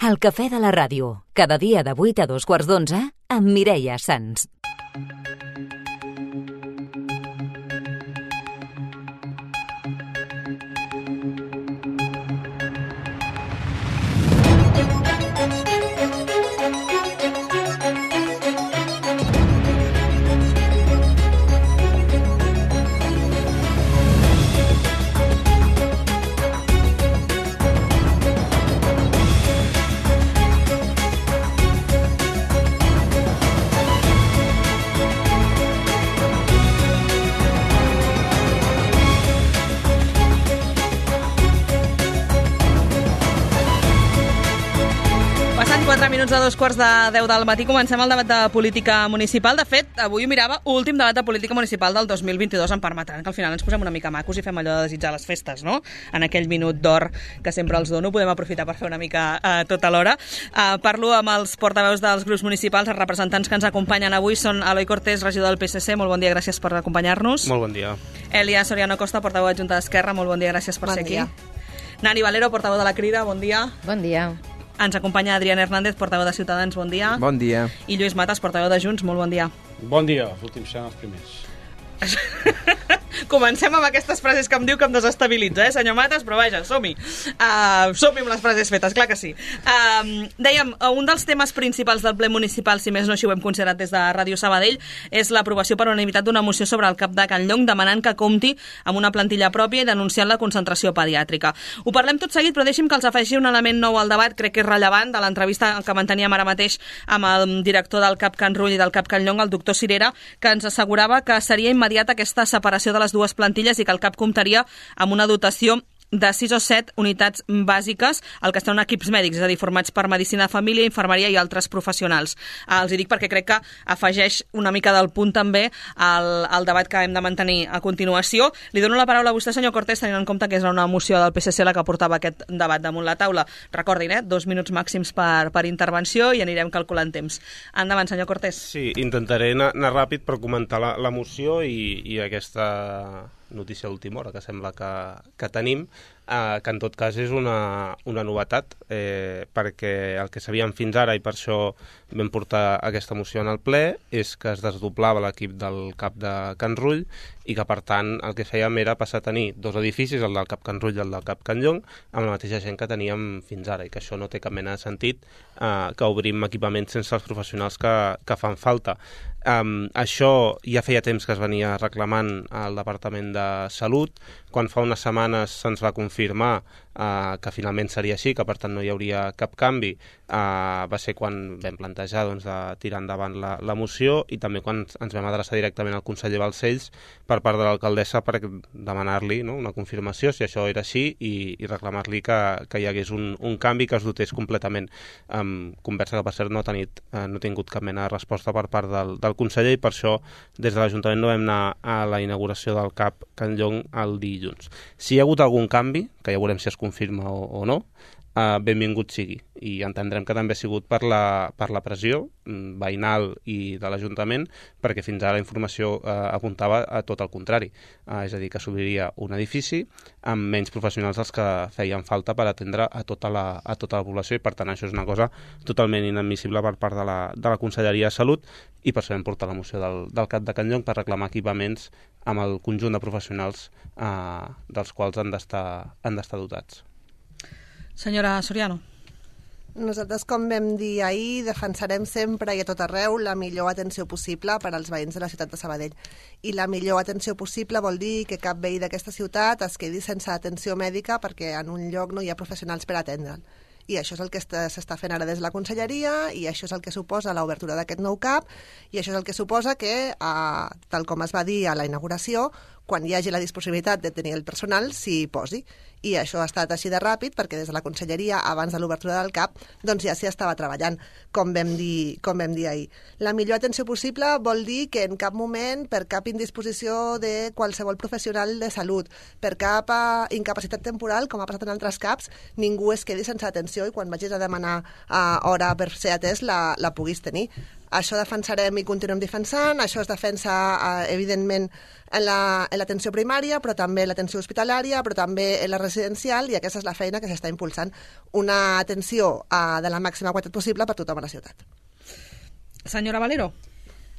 El cafè de la ràdio, cada dia de 8 a 2:15 amb Mireia Sans. Passant 4 minuts a 2:15 del matí, comencem el debat de política municipal. De fet, avui ho mirava, últim debat de política municipal del 2022, em permetran que al final ens posem una mica macos i fem allò de desitjar les festes, no? En aquell minut d'or que sempre els dono, podem aprofitar per fer una mica tot alhora. Parlo amb els portaveus dels grups municipals, els representants que ens acompanyen avui són Eloi Cortés, regidor del PSC, molt bon dia, gràcies per acompanyar-nos. Molt bon dia. Elia Soriano Costa, portaveu adjunta d'Esquerra, molt bon dia, gràcies per ser aquí. Nani Valero, portaveu de la Crida, bon dia. Bon dia. Ens acompanya Adrián Hernández, portaveu de Ciutadans, bon dia. Bon dia. I Lluís Matas, portaveu de Junts, molt bon dia. Bon dia, els últims seran els primers. Comencem amb aquestes frases que em diu que em desestabilitza, senyor Matas, però vaja, som-hi. Som-hi amb les frases fetes, clar que sí. Dèiem, un dels temes principals del ple municipal, si més no així ho hem considerat des de Ràdio Sabadell, és l'aprovació per unanimitat d'una moció sobre el CAP de Can Llong, demanant que compti amb una plantilla pròpia i denunciant la concentració pediàtrica. Ho parlem tot seguit, però deixi'm que els afegeixi un element nou al debat, crec que és rellevant, de l'entrevista que manteníem ara mateix amb el director del CAP Can Rull i del CAP Can Llong, el doctor Cirera, que ens assegurava que seria immediata aquesta separació de les dues plantilles i que el CAP comptaria amb una dotació de 6 o 7 unitats bàsiques, el que estan equips mèdics, és a dir, formats per medicina de família, infermeria i altres professionals. Els hi dic perquè crec que afegeix una mica del punt també al debat que hem de mantenir a continuació. Li dono la paraula a vostè, senyor Cortés, tenint en compte que és una moció del PSC la que portava aquest debat damunt la taula. Recordin, 2 minuts màxims per intervenció i anirem calculant temps. Endavant, senyor Cortés. Sí, intentaré anar ràpid per comentar la moció i aquesta notícia d'última hora que sembla que tenim, que en tot cas és una novetat, perquè el que sabíem fins ara, i per això vam portar aquesta moció en el ple, és que es desdoblava l'equip del CAP de Can Rull i que, per tant, el que fèiem era passar a tenir 2 edificis, el del CAP Can Rull i el del CAP Can Llong, amb la mateixa gent que teníem fins ara, i que això no té cap mena de sentit, que obrim equipaments sense els professionals que fan falta. Això ja feia temps que es venia reclamant al Departament de Salut. Quan fa unes setmanes se'ns va confirmar que finalment seria així, que per tant no hi hauria cap canvi, va ser quan vam plantejar de tirar endavant la moció, i també quan ens vam adreçar directament al conseller Balcells per part de l'alcaldessa per demanar-li una confirmació si això era així i reclamar-li que hi hagués un canvi, que es dotés completament. Conversa que per cert no ha tingut cap mena de resposta per part del conseller, i per això des de l'Ajuntament no vam anar a la inauguració del CAP Can Llong el dilluns. Si hi ha hagut algun canvi, que ja veurem si es confirma o no, benvingut sigui, i entendrem que també ha sigut per la pressió veïnal i de l'Ajuntament, perquè fins ara la informació apuntava a tot el contrari, és a dir, que s'obriria un edifici amb menys professionals dels que feien falta per atendre a tota la població, i per tant això és una cosa totalment inadmissible per part de la Conselleria de Salut, i per això vam portar la moció del CAP de Can Llong per reclamar equipaments amb el conjunt de professionals dels quals han d'estar dotats. Senyora Soriano. Nosaltres, com vam dir ahir, defensarem sempre i a tot arreu la millor atenció possible per als veïns de la ciutat de Sabadell. I la millor atenció possible vol dir que cap veí d'aquesta ciutat es quedi sense atenció mèdica perquè en un lloc no hi ha professionals per atendre'l. I això és el que s'està fent ara des de la Conselleria, i això és el que suposa l'obertura d'aquest nou CAP, i això és el que suposa que, tal com es va dir a la inauguració, quan hi hagi la disponibilitat de tenir el personal, s'hi posi. I això ha estat així de ràpid, perquè des de la Conselleria, abans de l'obertura del CAP, doncs ja s'hi estava treballant, com vam dir ahir. La millor atenció possible vol dir que en cap moment, per cap indisposició de qualsevol professional de salut, per cap incapacitat temporal, com ha passat en altres CAPs, ningú es quedi sense atenció i quan vagis a demanar hora per ser atès la puguis tenir. Això defensarem i continuem defensant, això es defensa, evidentment, en l'atenció primària, però també en l'atenció hospitalària, però també en la residencial, i aquesta és la feina que s'està impulsant. Una atenció de la màxima qualitat possible per tothom a la ciutat. Senyora Valero.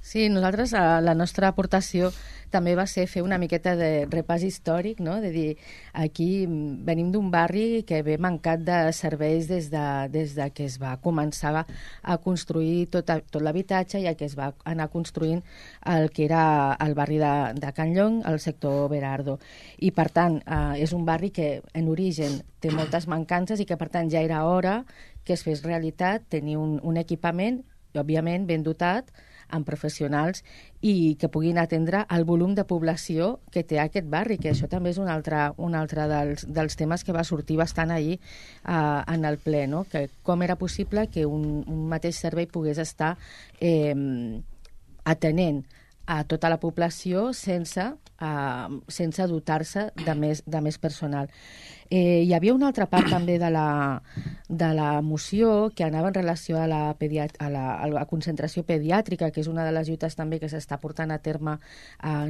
Sí, nosaltres, la nostra aportació també va ser fer una miqueta de repàs històric, no? De dir, aquí venim d'un barri que ve mancat de serveis des de que es va començar a construir tot l'habitatge i que es va anar construint el que era el barri de Can Llong, el sector Berardo. I, per tant, és un barri que en origen té moltes mancances i que, per tant, ja era hora que es fes realitat tenir un equipament, òbviament, ben dotat, amb professionals i que puguin atendre el volum de població que té aquest barri, que això també és un altre dels temes que va sortir bastant ahir en el ple, no? Que com era possible que un mateix servei pogués estar atenent a tota la població sense dotar-se de més personal. Hi havia una altra part també de la moció que anava en relació a la concentració pediàtrica, que és una de les lluites també que s'està portant a terme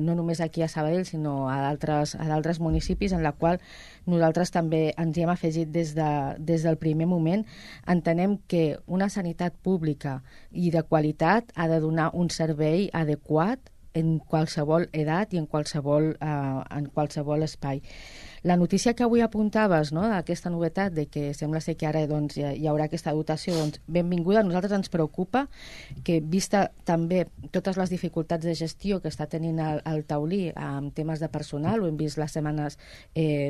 no només aquí a Sabadell, sinó a d'altres municipis, en la qual nosaltres també ens hi hem afegit des del primer moment. Entenem que una sanitat pública i de qualitat ha de donar un servei adequat en qualsevol edat i en qualsevol espai. La notícia que avui apuntaves, no?, d'aquesta novetat de que sembla ser que ara hi haurà aquesta dotació, benvinguda. A nosaltres ens preocupa que, vista també totes les dificultats de gestió que està tenint el Taulí amb temes de personal, ho hem vist les setmanes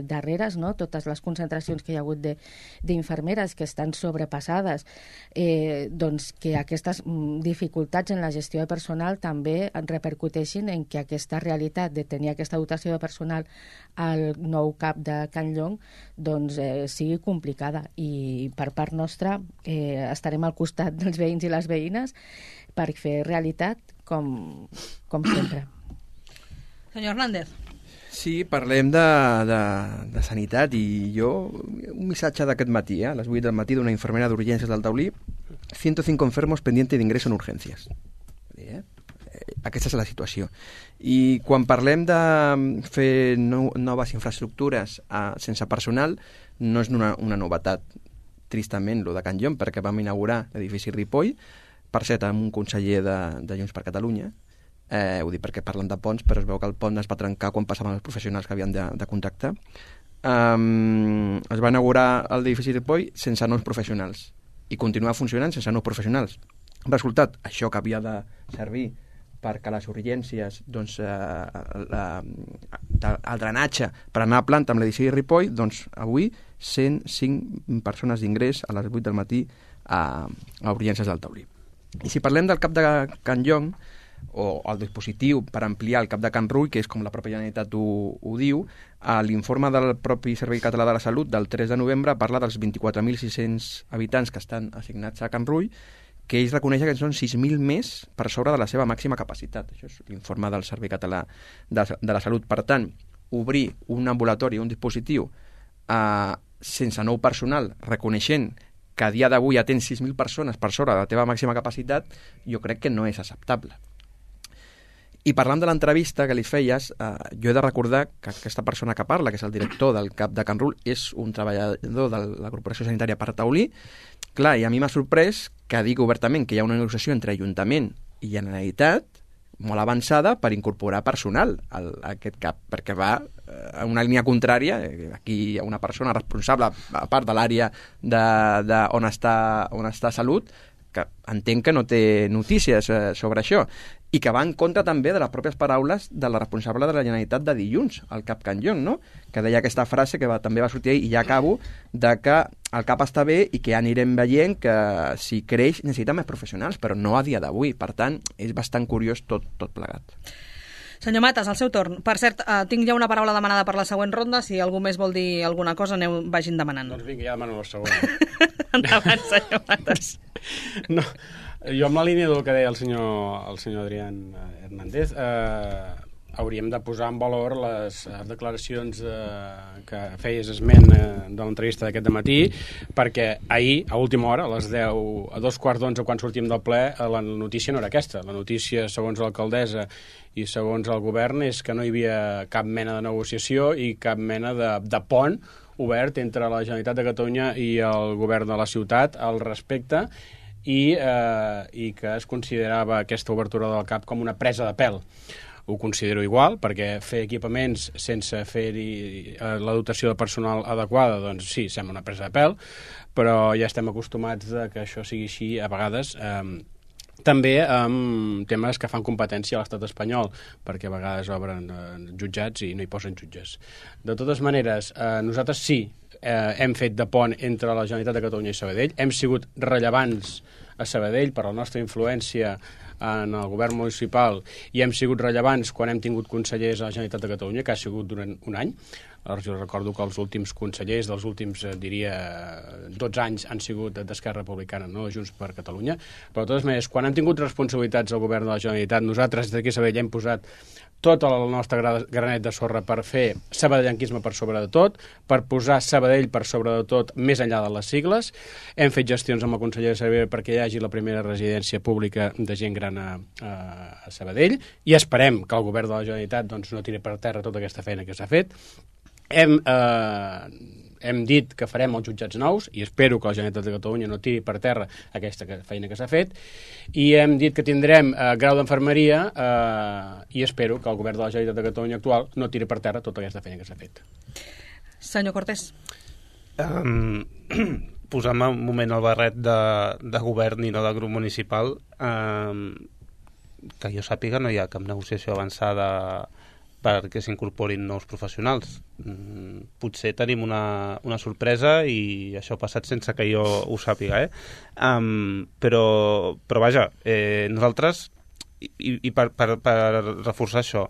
darreres, no?, totes les concentracions que hi ha hagut d'infermeres que estan sobrepassades, doncs que aquestes dificultats en la gestió de personal també repercuteixin en que aquesta realitat de tenir aquesta dotació de personal al nou cap de Can Llong doncs sigui complicada, i per part nostra estarem al costat dels veïns i les veïnes per fer realitat com sempre. Senyor Hernández. Sí, parlem de sanitat, i jo un missatge d'aquest matí, a les 8 del matí, d'una infermera d'urgències del Taulí: 105 enfermos pendientes de ingreso en urgencias. Aquesta és la situació. I quan parlem de fer noves infraestructures sense personal, no és una novetat, tristament, lo de Can Llong, perquè vam inaugurar l'edifici Ripoll, per cert, amb un conseller de Junts per Catalunya. Ho dic perquè parlen de ponts, però es veu que el pont es va trencar quan passaven els professionals que havien de contractar. Es va inaugurar l'edifici Ripoll sense nous professionals i continua funcionant sense nous professionals. Resultat, això que havia de servir perquè les urgències, doncs, el drenatge per anar a planta amb l'edifici Ripoll, doncs avui 105 persones d'ingrés a les 8 del matí a urgències del Taulí. I si parlem del cap de Can Llong, o el dispositiu per ampliar el cap de Can Rull, que és com la pròpia Generalitat ho diu, l'informe del propi Servei Català de la Salut del 3 de novembre parla dels 24.600 habitants que estan assignats a Can Rull, que ells reconeixen que són 6.000 més per sobre de la seva màxima capacitat. Això és l'informe del Servei Català de la Salut. Per tant, obrir un ambulatori, un dispositiu, sense nou personal, reconeixent que a dia d'avui atén 6.000 persones per sobre de la teva màxima capacitat, jo crec que no és acceptable. I parlant de l'entrevista que li feies, jo he de recordar que aquesta persona que parla, que és el director del CAP de Can Rull, és un treballador de la Corporació Sanitària per Taulí. Clar, i a mi m'ha sorprès que digui obertament que hi ha una negociació entre Ajuntament i Generalitat molt avançada per incorporar personal a aquest CAP, perquè va en una línia contrària. Aquí hi ha una persona responsable, a part de l'àrea on està Salut, que entenc que no té notícies sobre això, i que va en contra també de les pròpies paraules de la responsable de la Generalitat de dilluns, el CAP Can Llong, no?, que deia aquesta frase que també va sortir ahir, i ja acabo, de que el CAP està bé i que ja anirem veient que si creix necessita més professionals, però no a dia d'avui. Per tant, és bastant curiós tot plegat. Senyor Matas, al seu torn. Per cert, tinc ja una paraula demanada per la següent ronda. Si algú més vol dir alguna cosa, vagin demanant. Doncs vinga, ja demano la següent. Endavant, senyor Matas. No, jo amb la línia del que deia el senyor Adrián Hernández, a hauríem de posar en valor les declaracions que feies esment de l'entrevista d'aquest dematí, perquè ahir, a última hora, a les 10, a 2:15, quan sortim del ple, la notícia no era aquesta. La notícia, segons l'alcaldessa i segons el govern, és que no hi havia cap mena de negociació i cap mena de pont obert entre la Generalitat de Catalunya i el govern de la ciutat al respecte, i que es considerava aquesta obertura del CAP com una presa de pèl. Ho considero igual, perquè fer equipaments sense fer-hi la dotació de personal adequada, doncs sí, sembla una presa de pèl, però ja estem acostumats a que això sigui així a vegades, també amb temes que fan competència a l'estat espanyol, perquè a vegades obren jutjats i no hi posen jutges. De totes maneres, nosaltres sí hem fet de pont entre la Generalitat de Catalunya i Sabadell, hem sigut rellevants a Sabadell per la nostra influència en el govern municipal i hem sigut rellevants quan hem tingut consellers a la Generalitat de Catalunya, que ha sigut durant un any. Jo recordo que els últims consellers dels últims, diria, 12 anys han sigut d'Esquerra Republicana, no de Junts per Catalunya. Però, de totes maneres, quan han tingut responsabilitats al govern de la Generalitat, nosaltres d'aquí a Sabadell hem posat tot el nostre granet de sorra per fer sabadellanquisme per sobre de tot, per posar Sabadell per sobre de tot, més enllà de les sigles. Hem fet gestions amb el conseller de Sabadell perquè hi hagi la primera residència pública de gent gran a Sabadell, i esperem que el govern de la Generalitat doncs, no tiri per terra tota aquesta feina que s'ha fet. Hem dit que farem els jutjats nous i espero que la Generalitat de Catalunya no tiri per terra aquesta feina que s'ha fet, i hem dit que tindrem grau d'infermeria i espero que el govern de la Generalitat de Catalunya actual no tiri per terra tota aquesta feina que s'ha fet. Senyor Cortés. Posant un moment el barret de govern i no de grup municipal, que jo sàpiga no hi ha cap negociació avançada perquè s'incorporin nous professionals. Potser tenim una sorpresa i això ha passat sense que jo ho sàpiga, però vaja, nosaltres, i per reforçar això,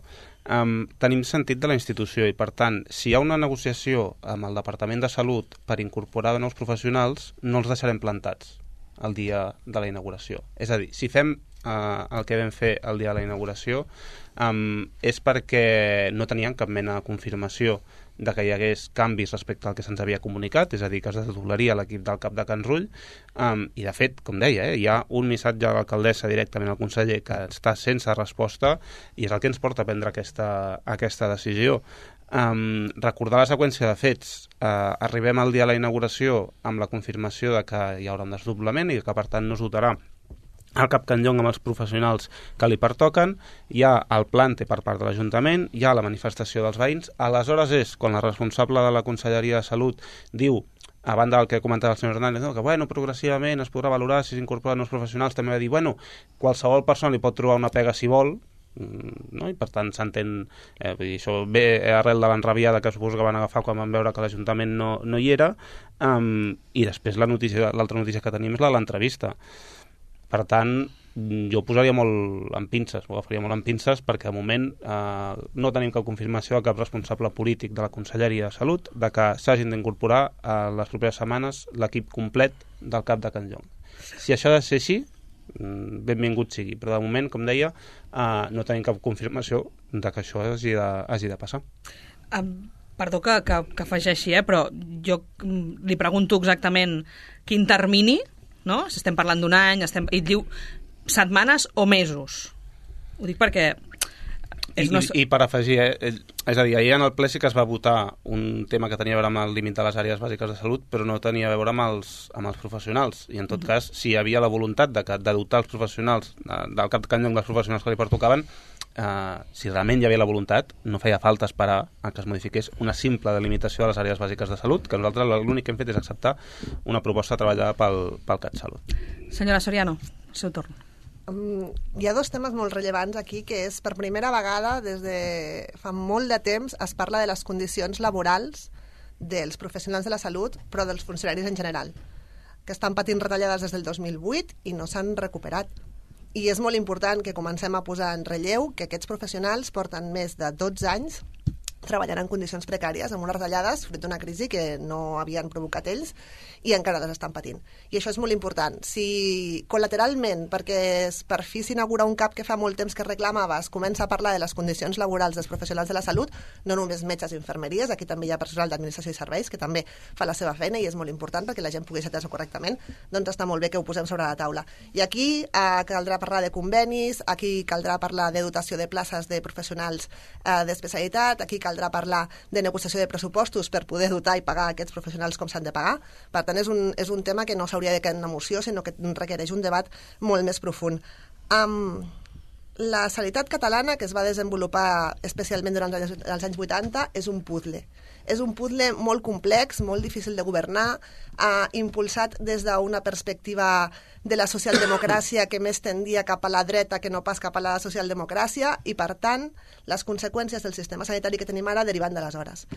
tenim sentit de la institució i, per tant, si hi ha una negociació amb el Departament de Salut per incorporar nous professionals, no els deixarem plantats el dia de la inauguració. És a dir, si fem el que vam fer el dia de la inauguració és perquè no teníem cap mena de confirmació de que hi hagués canvis respecte al que se'ns havia comunicat, és a dir, que es desdoblaria l'equip del CAP de Can Rull, i de fet, com deia, hi ha un missatge de l'alcaldessa directament al conseller que està sense resposta i és el que ens porta a prendre aquesta decisió. Recordar la seqüència de fets. Arribem al dia de la inauguració amb la confirmació de que hi haurà un desdoblament i que per tant no es dotarà el CAP Can Llong amb els professionals que li pertoquen, hi ha el plante per part de l'Ajuntament, hi ha la manifestació dels veïns. Aleshores és quan la responsable de la Conselleria de Salut diu, a banda del que comentava el senyor Hernández, no, que progressivament es podrà valorar si s'incorporen nous professionals. També va dir, qualsevol persona li pot trobar una pega si vol, no? I per tant s'entén, això ve arrel de l'enrabiada que suposo que van agafar quan van veure que l'Ajuntament no hi era, i després l'altra notícia que tenim és l'entrevista. Per tant, jo ho posaria molt en pinces, ho agafaria molt en pinces, perquè de moment no tenim cap confirmació de cap responsable polític de la Conselleria de Salut de que s'hagin d'incorporar a les properes setmanes l'equip complet del CAP de Can Llong. Si això ha de ser així, benvingut sigui, però de moment, com deia, no tenim cap confirmació de que això hagi de passar. Perdó que afegeixi, però jo li pregunto exactament quin termini, no? Si estem parlant d'un any, i diu setmanes o mesos. Ho dic perquè... I per afegir, és a dir, ahir en el ple sí que es va votar un tema que tenia a veure amb el límit de les àrees bàsiques de salut, però no tenia a veure amb els professionals. I en tot cas, si hi havia la voluntat de dotar els professionals del CAP de Can Llong dels professionals que li pertocaven, si realment hi havia la voluntat, no feia falta esperar a que es modifiqués una simple delimitació de les àrees bàsiques de salut, que nosaltres l'únic que hem fet és acceptar una proposta treballada pel CatSalut. Senyora Soriano, seu torn. Hi ha dos temes molt rellevants aquí, que és, per primera vegada, des de fa molt de temps, es parla de les condicions laborals dels professionals de la salut, però dels funcionaris en general, que estan patint retallades des del 2008 i no s'han recuperat. I és molt important que comencem a posar en relleu que aquests professionals porten més de 12 anys treballant en condicions precàries, amb unes retallades fruit d'una crisi que no havien provocat ells i encara les estan patint. I això és molt important. Si col·lateralment, perquè per fi s'inaugura un CAP que fa molt temps que reclamava, es comença a parlar de les condicions laborals dels professionals de la salut, no només metges i infermeries, aquí també hi ha personal d'administració i serveis que també fa la seva feina i és molt important perquè la gent pugui ser atesa correctament, doncs està molt bé que ho posem sobre la taula. I aquí caldrà parlar de convenis, aquí caldrà parlar de dotació de places de professionals d'especialitat, aquí caldrà parlar de negociació de pressupostos per poder dotar i pagar aquests professionals com s'han de pagar. Per tant, és un tema que no s'hauria de quedar en una moció, sinó que requereix un debat molt més profund. La sanitat catalana, que es va desenvolupar especialment durant els anys 80, és un puzzle. És un puzzle molt complex, molt difícil de governar, impulsat des d'una perspectiva de la socialdemocràcia que més tendia cap a la dreta que no pas cap a la socialdemocràcia i, per tant, les conseqüències del sistema sanitari que tenim ara deriven d'aleshores.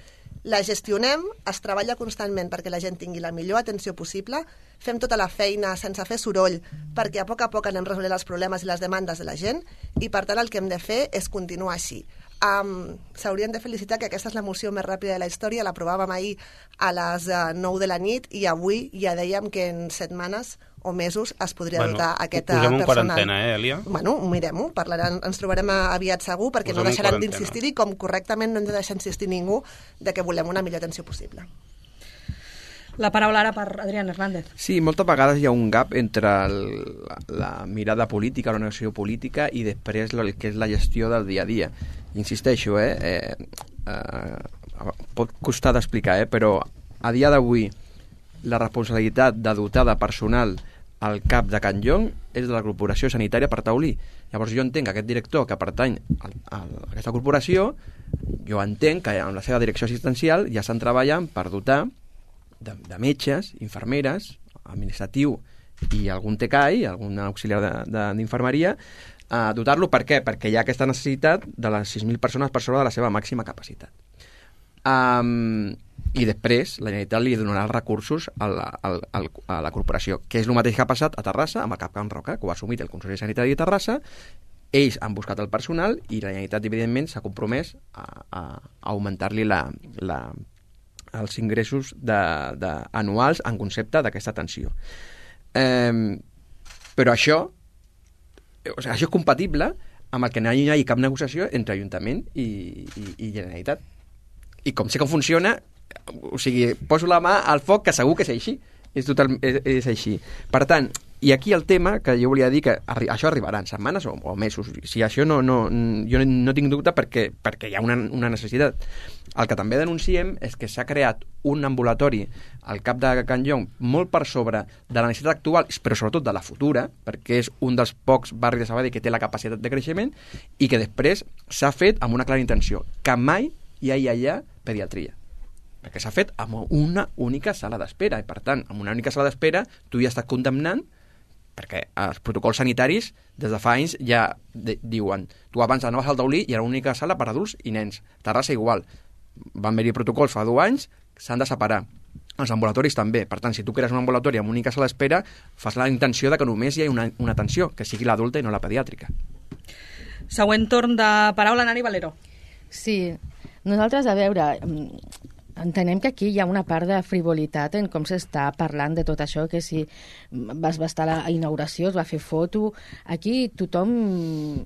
La gestionem, es treballa constantment perquè la gent tingui la millor atenció possible, fem tota la feina sense fer soroll perquè a poc anem resolent els problemes i les demandes de la gent i, per tant, el que hem de fer és continuar així. S'haurien de felicitar que aquesta és la moció més ràpida de la història, l'aprovàvem ahir a les 9 de la nit i avui ja dèiem que en setmanes o mesos es podria dotar aquest personal. Posem en quarantena, Elia? Bueno, mirem-ho, ens trobarem aviat segur perquè no deixaran d'insistir-hi, com correctament no hem de deixar insistir ningú de que volem una millor atenció possible. La paraula ara per Adrián Hernández. Sí, moltes vegades hi ha un gap entre la mirada política, la negociació política i després el que és la gestió del dia a dia. Insisteixo, pot costar d'explicar, però a dia d'avui la responsabilitat de dotar de personal al CAP de Can Llong és de la Corporació Sanitària per Taulí. Llavors jo entenc que aquest director que pertany a aquesta corporació, jo entenc que amb la seva direcció assistencial ja estan treballant per dotar de metges, infermeres, administratiu i algun TCAI, algun auxiliar d'infermeria, dotar-lo. Per què? Perquè hi ha aquesta necessitat de les 6.000 persones per sobre de la seva màxima capacitat. I després la Generalitat li donarà els recursos a la corporació, que és el mateix que ha passat a Terrassa amb el CAP Can Roca, que ho ha assumit el Consell Sanitari de Terrassa. Ells han buscat el personal i la Generalitat, evidentment, s'ha compromès a augmentar-li els ingressos anuals en concepte d'aquesta atenció. Però això és compatible amb el que no hi hagi cap negociació entre Ajuntament i Generalitat. I com sé com funciona, o sigui, poso la mà al foc que segur que és així. És així. Per tant, i aquí el tema que jo volia dir que això arribarà en setmanes o mesos. Si això jo no tinc dubte perquè hi ha una necessitat. El que també denunciem és que s'ha creat un ambulatori al CAP de Can Llong molt per sobre de la necessitat actual, però sobretot de la futura, perquè és un dels pocs barris de Sabadell que té la capacitat de creixement i que després s'ha fet amb una clara intenció, que mai hi ha allà pediatria. Perquè s'ha fet amb una única sala d'espera i, per tant, amb una única sala d'espera tu ja estàs condemnant, perquè els protocols sanitaris des de fa anys ja diuen tu abans anaves al taulí i era una única sala per adults i nens. Terrassa igual. Van haver-hi protocols fa 2 anys, s'han de separar. Els ambulatoris també. Per tant, si tu crees un ambulatori amb única sala d'espera, fas la intenció de que només hi ha una atenció, que sigui l'adulta i no la pediàtrica. Següent torn de paraula, Nani Valero. Sí, nosaltres, a veure, entenem que aquí hi ha una part de frivolitat en com s'està parlant de tot això, que si vas estar a la inauguració, es va fer foto. Aquí tothom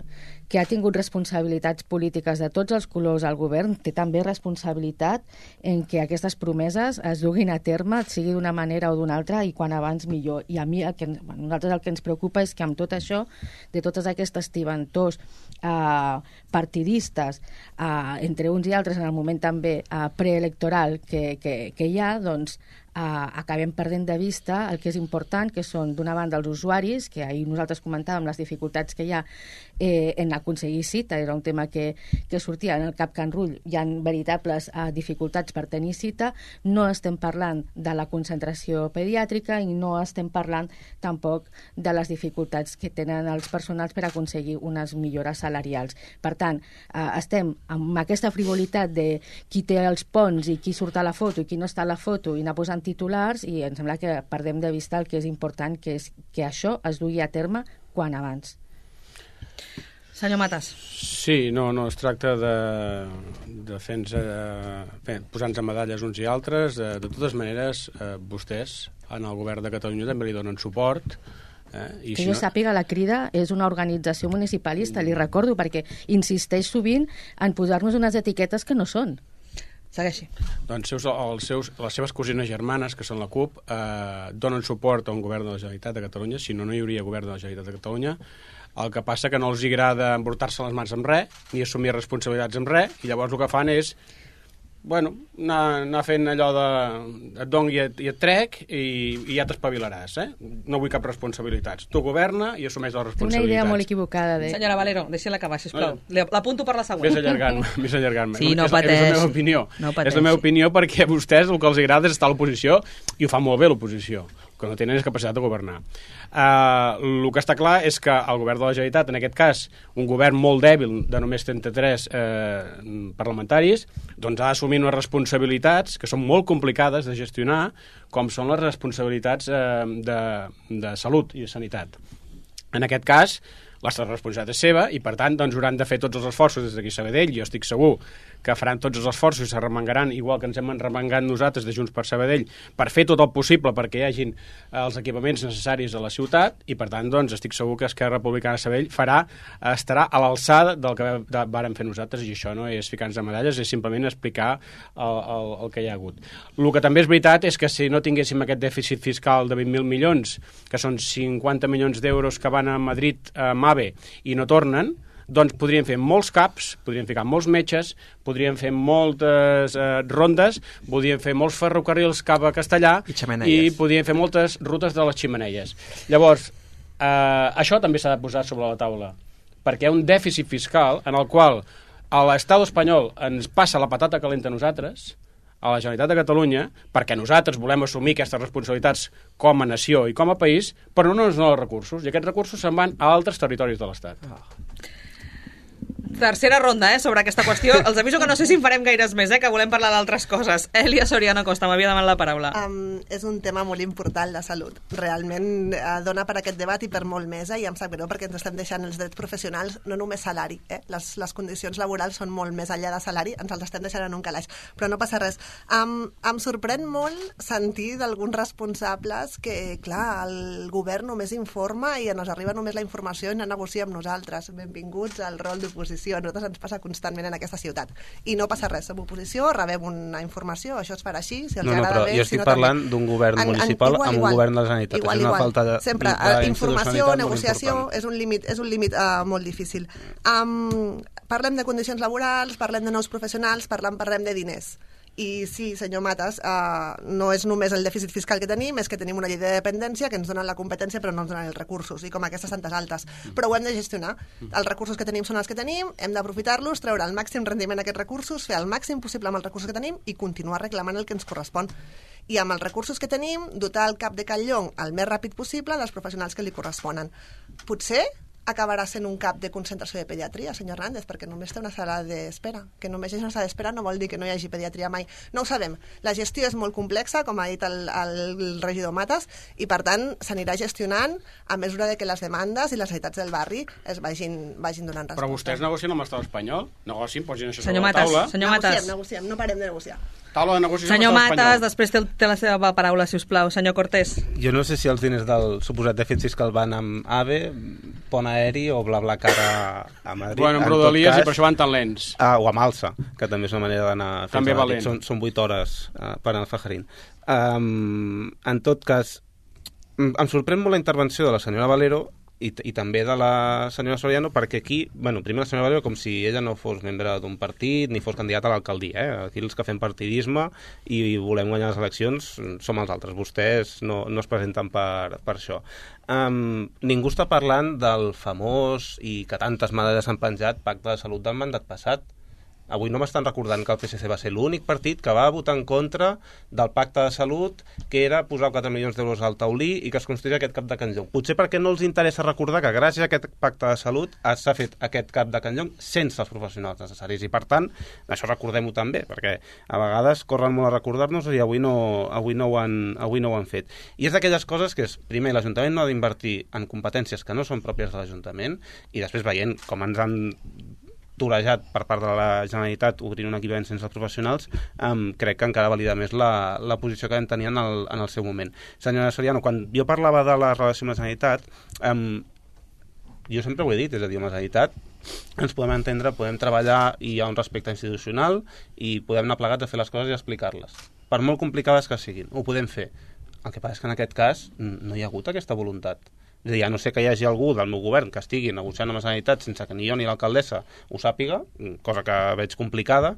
que ha tingut responsabilitats polítiques de tots els colors al govern té també responsabilitat en que aquestes promeses es duguin a terme, sigui d'una manera o d'una altra, i quan abans millor. I a mi nosaltres el que ens preocupa és que amb tot això, de totes aquestes tibantors partidistes, entre uns i altres en el moment també preelectoral que hi ha, doncs acabem perdent de vista el que és important, que són, d'una banda, els usuaris, que ahir nosaltres comentàvem les dificultats que hi ha en aconseguir cita, era un tema que sortia en el CAP Can Rull, hi ha veritables dificultats per tenir cita, no estem parlant de la concentració pediàtrica i no estem parlant tampoc de les dificultats que tenen els personals per aconseguir unes millores salarials. Per tant, estem amb aquesta frivolitat de qui té els ponts i qui surt a la foto i qui no està a la foto i anar posant titulars, i em sembla que perdem de vista el que és important, que és que això es dugui a terme quan abans. Senyor Matas. Sí, no es tracta de posar-nos medalles uns i altres. De totes maneres, vostès, en el govern de Catalunya, també li donen suport. Que jo sàpiga, la Crida és una organització municipalista, li recordo, perquè insisteix sovint en posar-nos unes etiquetes que no són. Segueixi. Doncs les seves cosines germanes, que són la CUP, donen suport a un govern de la Generalitat de Catalunya, si no, no hi hauria govern de la Generalitat de Catalunya. El que passa que no els agrada embrutar-se les mans amb res, ni assumir responsabilitats amb res, i llavors el que fan és anar fent allò de et dono i et trec i ja t'espavilaràs, No vull cap responsabilitats. Tu governa i assumeix les responsabilitats. Una idea molt equivocada. Senyora Valero, deixi-la acabar, sisplau. L'apunto per la següent. Vés allargant-me. Sí, no pateix. És la meva opinió. És la meva opinió perquè a vostès el que els agrada és estar a l'oposició i ho fa molt bé l'oposició. El que no tenen és capacitat de governar. El que està clar és que el govern de la Generalitat, en aquest cas, un govern molt dèbil de només 33 parlamentaris, doncs ha d'assumir unes responsabilitats que són molt complicades de gestionar, com són les responsabilitats de salut i de sanitat. En aquest cas, la responsabilitat és seva i, per tant, doncs, hauran de fer tots els esforços des d'aquí a Sabadell. Jo estic segur que faran tots els esforços i s'arremangaran, igual que ens hem arremangat nosaltres de Junts per Sabadell, per fer tot el possible perquè hi hagin els equipaments necessaris a la ciutat i, per tant, doncs, estic segur que Esquerra Republicana de Sabadell estarà a l'alçada del que vàrem fer nosaltres, i això no és ficar-nos de medalles, és simplement explicar el que hi ha hagut. El que també és veritat és que si no tinguéssim aquest dèficit fiscal de 20.000 milions, que són 50 milions d'euros que van a Madrid, a MAVE, i no tornen, doncs podríem fer molts CAPs, podríem ficar molts metges, podríem fer moltes rondes, podríem fer molts ferrocarrils cap a Castellà i podríem fer moltes rutes de les xemeneies. Llavors, això també s'ha de posar sobre la taula, perquè hi ha un dèficit fiscal en el qual l'Estat espanyol ens passa la patata calenta a nosaltres, a la Generalitat de Catalunya, perquè nosaltres volem assumir aquestes responsabilitats com a nació i com a país, però no ens donen els recursos, i aquests recursos se'n van a altres territoris de l'Estat. Tercera ronda, sobre aquesta qüestió. Els aviso que no sé si en farem gaires més, que volem parlar d'altres coses. Elia Soriano Costa, m'havia demanat la paraula. És un tema molt important, la salut. Realment dona per aquest debat i per molt més, i em sap greu perquè ens estem deixant els drets professionals, no només salari. Les condicions laborals són molt més enllà de salari, ens els estem deixant en un calaix. Però no passa res. Em sorprèn molt sentir d'alguns responsables que, clar, el govern només informa i ens arriba només la informació i no negocia amb nosaltres. Benvinguts al rol d'oposició. A nosaltres ens passa constantment en aquesta ciutat. I no passa res, som oposició, rebem una informació, això es farà així, si els agrada bé... Jo estic parlant d'un govern municipal amb un govern de la Generalitat. Igual. És una falta de... Sempre, informació, negociació, és un límit molt difícil. Parlem de condicions laborals, parlem de nous professionals, parlem de diners. I sí, senyor Matas, no és només el dèficit fiscal que tenim, és que tenim una llei de dependència que ens donen la competència però no ens donen els recursos, i com aquestes tantes altes. Però ho hem de gestionar. Els recursos que tenim són els que tenim, hem d'aprofitar-los, treure el màxim rendiment d'aquests recursos, fer el màxim possible amb els recursos que tenim i continuar reclamant el que ens correspon. I amb els recursos que tenim, dotar el cap de Can Llong el més ràpid possible dels professionals que li corresponen. Potser acabarà sent un cap de concentració de pediatria, senyor Hernández, perquè només té una sala d'espera. Que només hi hagi una sala d'espera no vol dir que no hi hagi pediatria mai. No ho sabem. La gestió és molt complexa, com ha dit el regidor Matas, i per tant s'anirà gestionant a mesura de que les demandes i les necessitats del barri es vagin donant resposta. Però vostès negocien amb l'Estat espanyol? Negocien, posin això sobre la taula. Senyor Matas. Negociem, no parem de negociar. Taula de negociació senyor amb l'Estat Matas, després té la seva paraula, si us plau. Senyor Cortés. Jo no sé si els diners del suposat dèficit fiscal van amb AVE, pont aeri o BlaBlaCar a Madrid. Bueno, amb Rodalies i per això van tan lents. O amb Alsa, que també és una manera d'anar fins a Madrid. Són 8 hores per anar a Fajarín. En tot cas, em sorprèn molt la intervenció de la senyora Valero i també de la senyora Soriano, perquè aquí, primer la senyora Valero com si ella no fos membre d'un partit ni fos candidata a l'alcaldia. Aquí els que fem partidisme i volem guanyar les eleccions som els altres. Vostès no es presenten per això. Ningú està parlant del famós i que tantes medalles han penjat Pacte de Salut del mandat passat. avui no m'estan recordant que el PSC va ser l'únic partit que va votar en contra del pacte de salut, que era posar 4 milions d'euros al taulí i que es construís aquest cap de Can Llong. Potser perquè no els interessa recordar que gràcies a aquest pacte de salut s'ha fet aquest cap de Can Llong sense els professionals necessaris, i per tant, això recordem-ho també, perquè a vegades corren molt a recordar-nos i avui no ho han fet. I és d'aquelles coses que és, primer, l'Ajuntament no ha d'invertir en competències que no són pròpies de l'Ajuntament, i després veient com ens han torejat per part de la Generalitat obrint un equipament sense professionals, crec que encara valida més la posició que vam tenir en el seu moment. Senyora Soriano, quan jo parlava de la relació amb la Generalitat, jo sempre ho he dit, és a dir, amb la Generalitat ens podem entendre, podem treballar i hi ha un respecte institucional i podem anar plegats a fer les coses i explicar-les. Per molt complicades que siguin, ho podem fer. El que passa és que en aquest cas no hi ha hagut aquesta voluntat. És a dir, a no ser que hi hagi algú del meu govern que estigui negociant amb la Generalitat sense que ni jo ni l'alcaldessa ho sàpiga, cosa que veig complicada,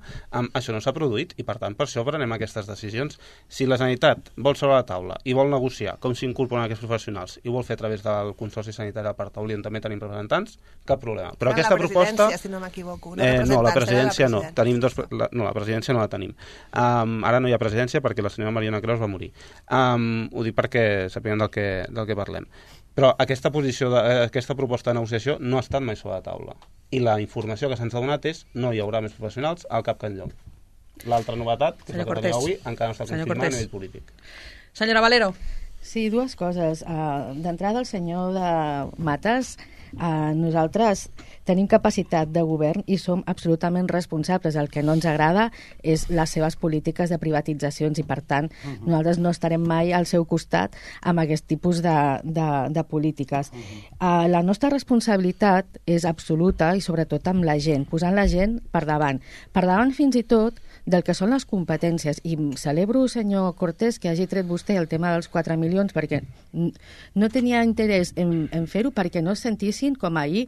això no s'ha produït i per tant per això prenem aquestes decisions. Si la Generalitat vol sobre la taula i vol negociar com s'incorporen aquests professionals i vol fer a través del Consorci Sanitari del Parc Taulí, on també tenim representants, cap problema. Però aquesta proposta... si no m'equivoco. No, la presidència no. La presidència no la tenim. Ara no hi ha presidència perquè la senyora Mariona Creus va morir. Ho dic perquè sapiguem del que parlem. Però aquesta proposta de negociació no ha estat mai sobre la taula. I la informació que se'ns ha donat és no hi haurà més professionals al Cap Can Llong. L'altra novetat, que és la que tenim avui, encara no està confirmada a nivell polític. Senyora Valero. Sí, dues coses. D'entrada, el senyor de Matas, nosaltres tenim capacitat de govern i som absolutament responsables. El que no ens agrada és les seves polítiques de privatitzacions i, per tant, nosaltres no estarem mai al seu costat amb aquest tipus de polítiques. La nostra responsabilitat és absoluta i sobretot amb la gent, posant la gent per davant. Per davant fins i tot del que són les competències. I celebro, senyor Cortés, que hagi tret vostè el tema dels 4 milions, perquè no tenia interès en fer-ho perquè no es sentissin com ahir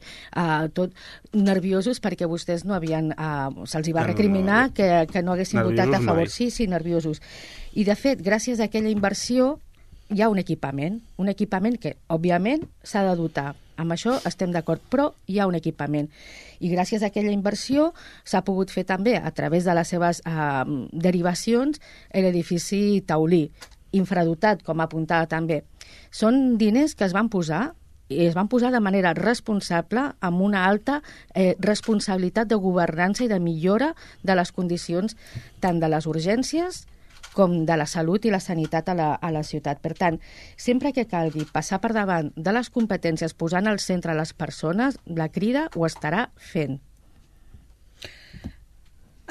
tot nerviosos perquè vostès no havien... se'ls hi va recriminar que no haguessin votat a favor. Sí, nerviosos. I, de fet, gràcies a aquella inversió hi ha un equipament que, òbviament, s'ha de dotar. Amb això estem d'acord, però hi ha un equipament. I gràcies a aquella inversió s'ha pogut fer també, a través de les seves derivacions, l'edifici taulí, infradotat, com apuntava també. Són diners que es van posar de manera responsable, amb una alta responsabilitat de governança i de millora de les condicions tant de les urgències com de la salut i la sanitat a la ciutat. Per tant, sempre que calgui passar per davant de les competències, posant al centre les persones, la Crida ho estarà fent.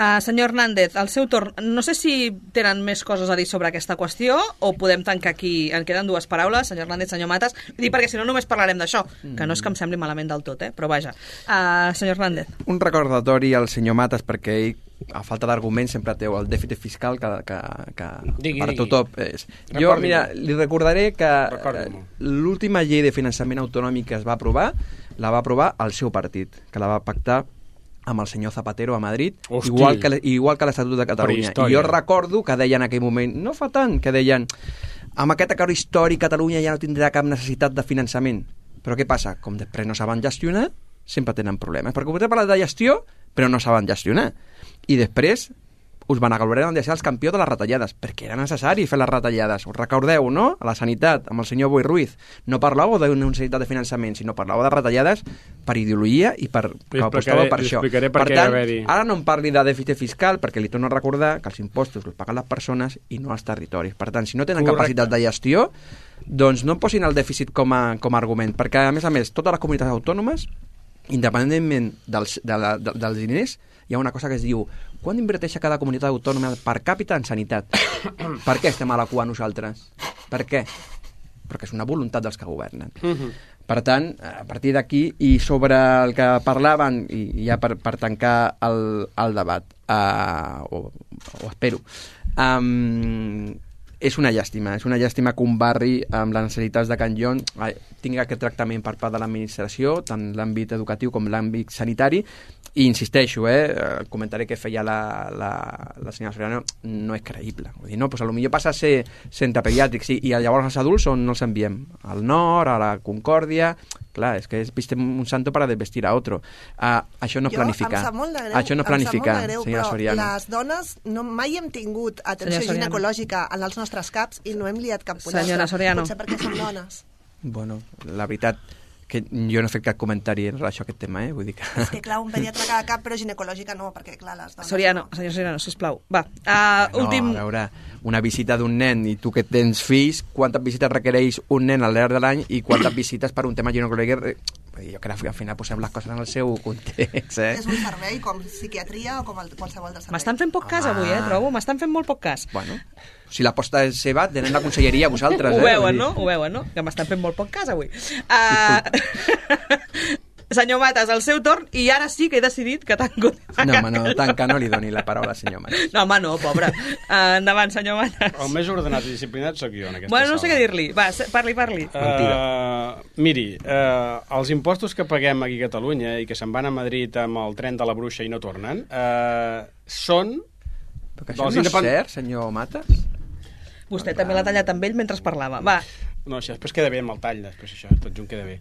Senyor Hernández, al seu torn, no sé si tenen més coses a dir sobre aquesta qüestió o podem tancar aquí. En queden dues paraules, senyor Hernández, senyor Matas. Dic perquè si no només parlarem d'això, que no és que em sembli malament del tot, però vaja. Senyor Hernández. Un recordatori al senyor Matas, perquè ell, a falta d'arguments, sempre té el dèficit fiscal que per tothom és. Jo, mira, li recordaré que l'última llei de finançament autonòmic que es va aprovar, la va aprovar el seu partit, que la va pactar amb el senyor Zapatero a Madrid, igual que l'Estatut de Catalunya. I jo recordo que deien en aquell moment, no fa tant, que deien amb aquest acord històric Catalunya ja no tindrà cap necessitat de finançament. Però què passa? Com després no saben gestionar, sempre tenen problemes. Perquè vostè parla de gestió, però no saben gestionar. I després us van agloriar de ser els campions de les retallades, perquè era necessari fer les retallades. Us recordeu, no? A la sanitat, amb el senyor Boi Ruiz. No parlàveu d'una necessitat de finançament, sinó parlàveu de retallades per ideologia i que apostava per això. Per tant, ara no em parli de dèficit fiscal, perquè li torno a recordar que els impostos els paguen les persones i no els territoris. Per tant, si no tenen capacitat de gestió, doncs no posin el dèficit com a argument, perquè, a més, totes les comunitats autònomes, independentment dels diners, hi ha una cosa que es diu quan inverteix cada comunitat autònoma per càpita en sanitat. Per què estem a la cua nosaltres? Per què? Perquè és una voluntat dels que governen. Per tant, a partir d'aquí, i sobre el que parlaven, i ja per tancar el debat, o espero, és una llàstima que un barri amb les necessitats de Can Llong tingui aquest tractament per part de l'administració, tant l'àmbit educatiu com l'àmbit sanitari, i insisteixo, el comentari que feia la senyora Soriano no és creïble. Vull dir, no, doncs potser passa a ser centre pediàtric, sí, i llavors els adults on no els enviem? Al nord, a la Concòrdia, Clar, és que viste un santo para desvestir a otro. Això no planificar. Em sap molt de greu, això no planificar, senyora Soriano. Però les dones mai hem tingut atenció ginecològica en els nostres caps i no hem liat cap pollastre. Senyora Soriano. Potser perquè som dones. Bueno, la veritat que jo no he fet cap comentari en relació a aquest tema, vull dir que... És que, clar, un pediatre cada cap, però ginecològica no, perquè, clar, les dones... Soriano, senyor Soriano, sisplau. Va, últim... A veure, una visita d'un nen i tu que tens fills, quantes visites requereix un nen al llarg de l'any i quantes visites per un tema ginecològic? Jo crec que al final posem les coses en el seu context, És un servei com psiquiatria o com qualsevol de servei. M'estan fent poc cas avui, trobo. M'estan fent molt poc cas. Bueno, si l'aposta és seva, tenen la conselleria vosaltres. Ho veuen, no? Ho veuen, no? Que m'estan fent molt poc cas avui. Senyor Matas, el seu torn, i ara sí que he decidit que tanco... No, home, no, tanca, no li doni la paraula al senyor Matas. No, home, no, pobre. Endavant, senyor Matas. El més ordenat i disciplinat sóc jo en aquesta sala. No sé què sala. dir-li. Va, parli. Miri, els impostos que paguem aquí a Catalunya i que se'n van a Madrid amb el tren de la bruixa i no tornen, són... Però que això no és cert, senyor Matas? Vostè també l'ha tallat amb ell mentre parlava. Va. No, això després queda bé amb el tall, després això, tot junt queda bé.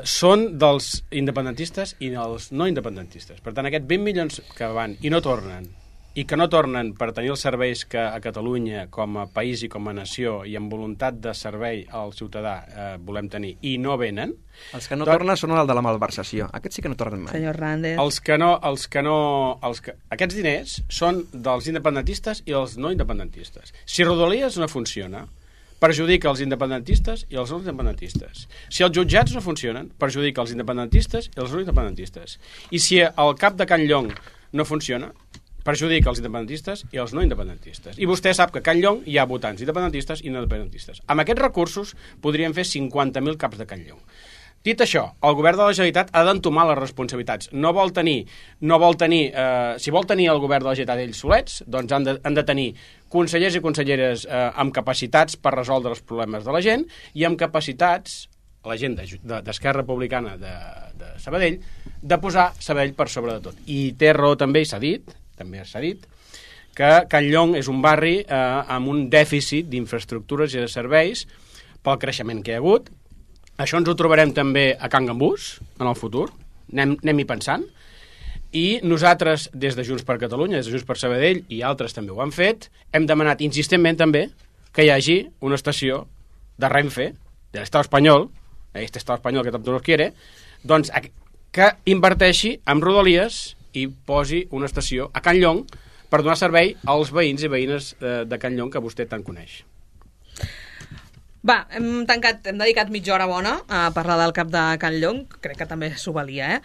Són dels independentistes i dels no independentistes. Per tant, aquests 20 milions que van i no tornen, i que no tornen per tenir els serveis que a Catalunya, com a país i com a nació, i amb voluntat de servei al ciutadà volem tenir, i no venen... Els que no tornen són el de la malversació. Aquests sí que no tornen mai. Senyor Hernández... Aquests diners són dels independentistes i dels no independentistes. Si Rodalies no funciona, perjudica els independentistes i els no independentistes. Si els jutjats no funcionen, perjudica els independentistes i els no independentistes. I si el cap de Can Llong no funciona, perjudica els independentistes i els no independentistes. I vostè sap que a Can Llong hi ha votants independentistes i no independentistes. Amb aquests recursos podríem fer 50.000 caps de Can Llong. Dit això, el govern de la Generalitat ha d'entomar les responsabilitats. Si vol tenir el govern de la Generalitat ells solets, doncs han de tenir consellers i conselleres amb capacitats per resoldre els problemes de la gent i amb capacitats, la gent d'Esquerra Republicana de Sabadell, de posar Sabadell per sobre de tot. I té raó també, i s'ha dit, que Can Llong és un barri amb un dèficit d'infraestructures i de serveis pel creixement que hi ha hagut. Això ens ho trobarem també a Can Gambús, en el futur, anem-hi pensant, i nosaltres, des de Junts per Catalunya, des de Junts per Sabadell, i altres també ho han fet, hem demanat insistentment també que hi hagi una estació de Renfe, de l'Estat espanyol, este Estat espanyol que tanto nos quiere, doncs que inverteixi en Rodalies i posi una estació a Can Llong per donar servei als veïns i veïnes de Can Llong que vostè tant coneix. Va, hem dedicat mitja hora bona a parlar del cap de Can Llong, crec que també s'ho valia,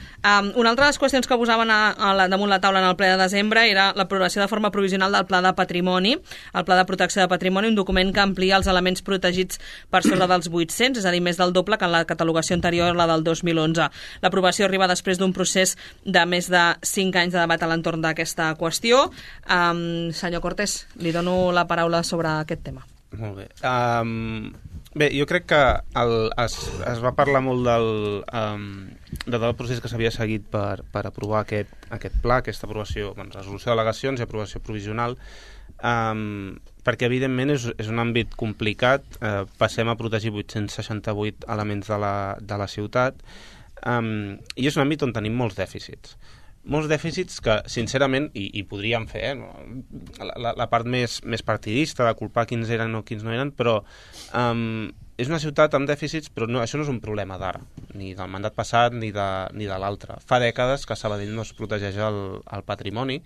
Una altra de les qüestions que posaven damunt la taula en el ple de desembre era l'aprovació de forma provisional del Pla de Patrimoni, el Pla de Protecció de Patrimoni, un document que amplia els elements protegits per sobre dels 800, és a dir, més del doble que en la catalogació anterior, la del 2011. L'aprovació arriba després d'un procés de més de 5 anys de debat a l'entorn d'aquesta qüestió. Senyor Cortés, li dono la paraula sobre aquest tema. Molt bé. Bé, jo crec que es va parlar molt del procés que s'havia seguit per aprovar aquest pla, aquesta aprovació, resolució d'al·legacions i aprovació provisional, perquè evidentment és un àmbit complicat. Passem a protegir 868 elements de la ciutat, i és un àmbit on tenim molts dèficits que, sincerament, i podríem fer la part més partidista de culpar quins eren o quins no eren, però és una ciutat amb dèficits, però això no és un problema d'ara, ni del mandat passat ni de l'altre. Fa dècades que Sabadell no es protegeix el patrimoni,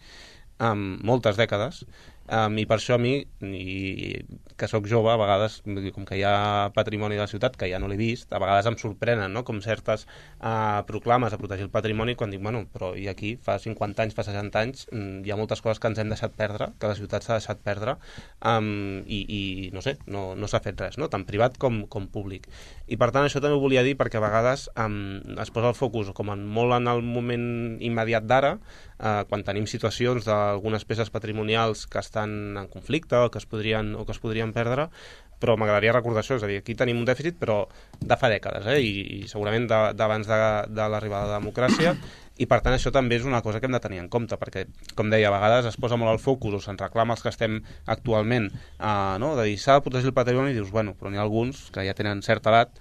moltes dècades, i per això a mi, que sóc jove, a vegades, com que hi ha patrimoni de la ciutat que ja no l'he vist, a vegades em sorprenen, no?, com certes proclames a protegir el patrimoni, quan dic, bueno, però i aquí fa 50 anys, fa 60 anys, hi ha moltes coses que ens hem deixat perdre, que la ciutat s'ha deixat perdre, i no sé, no s'ha fet res, no?, tant privat com públic. I per tant això també ho volia dir, perquè a vegades es posa el focus molt en el moment immediat d'ara, quan tenim situacions d'algunes peces patrimonials que estan en conflicte o que es podrien perdre, però m'agradaria recordar això, és a dir, aquí tenim un dèficit però de fa dècades, i segurament d'abans de l'arribada de la democràcia, i per tant això també és una cosa que hem de tenir en compte, perquè, com deia, a vegades es posa molt el focus o se'n reclama els que estem actualment, no? De dir, s'ha de protegir el patrimoni, i dius, bueno, però n'hi ha alguns que ja tenen certa edat,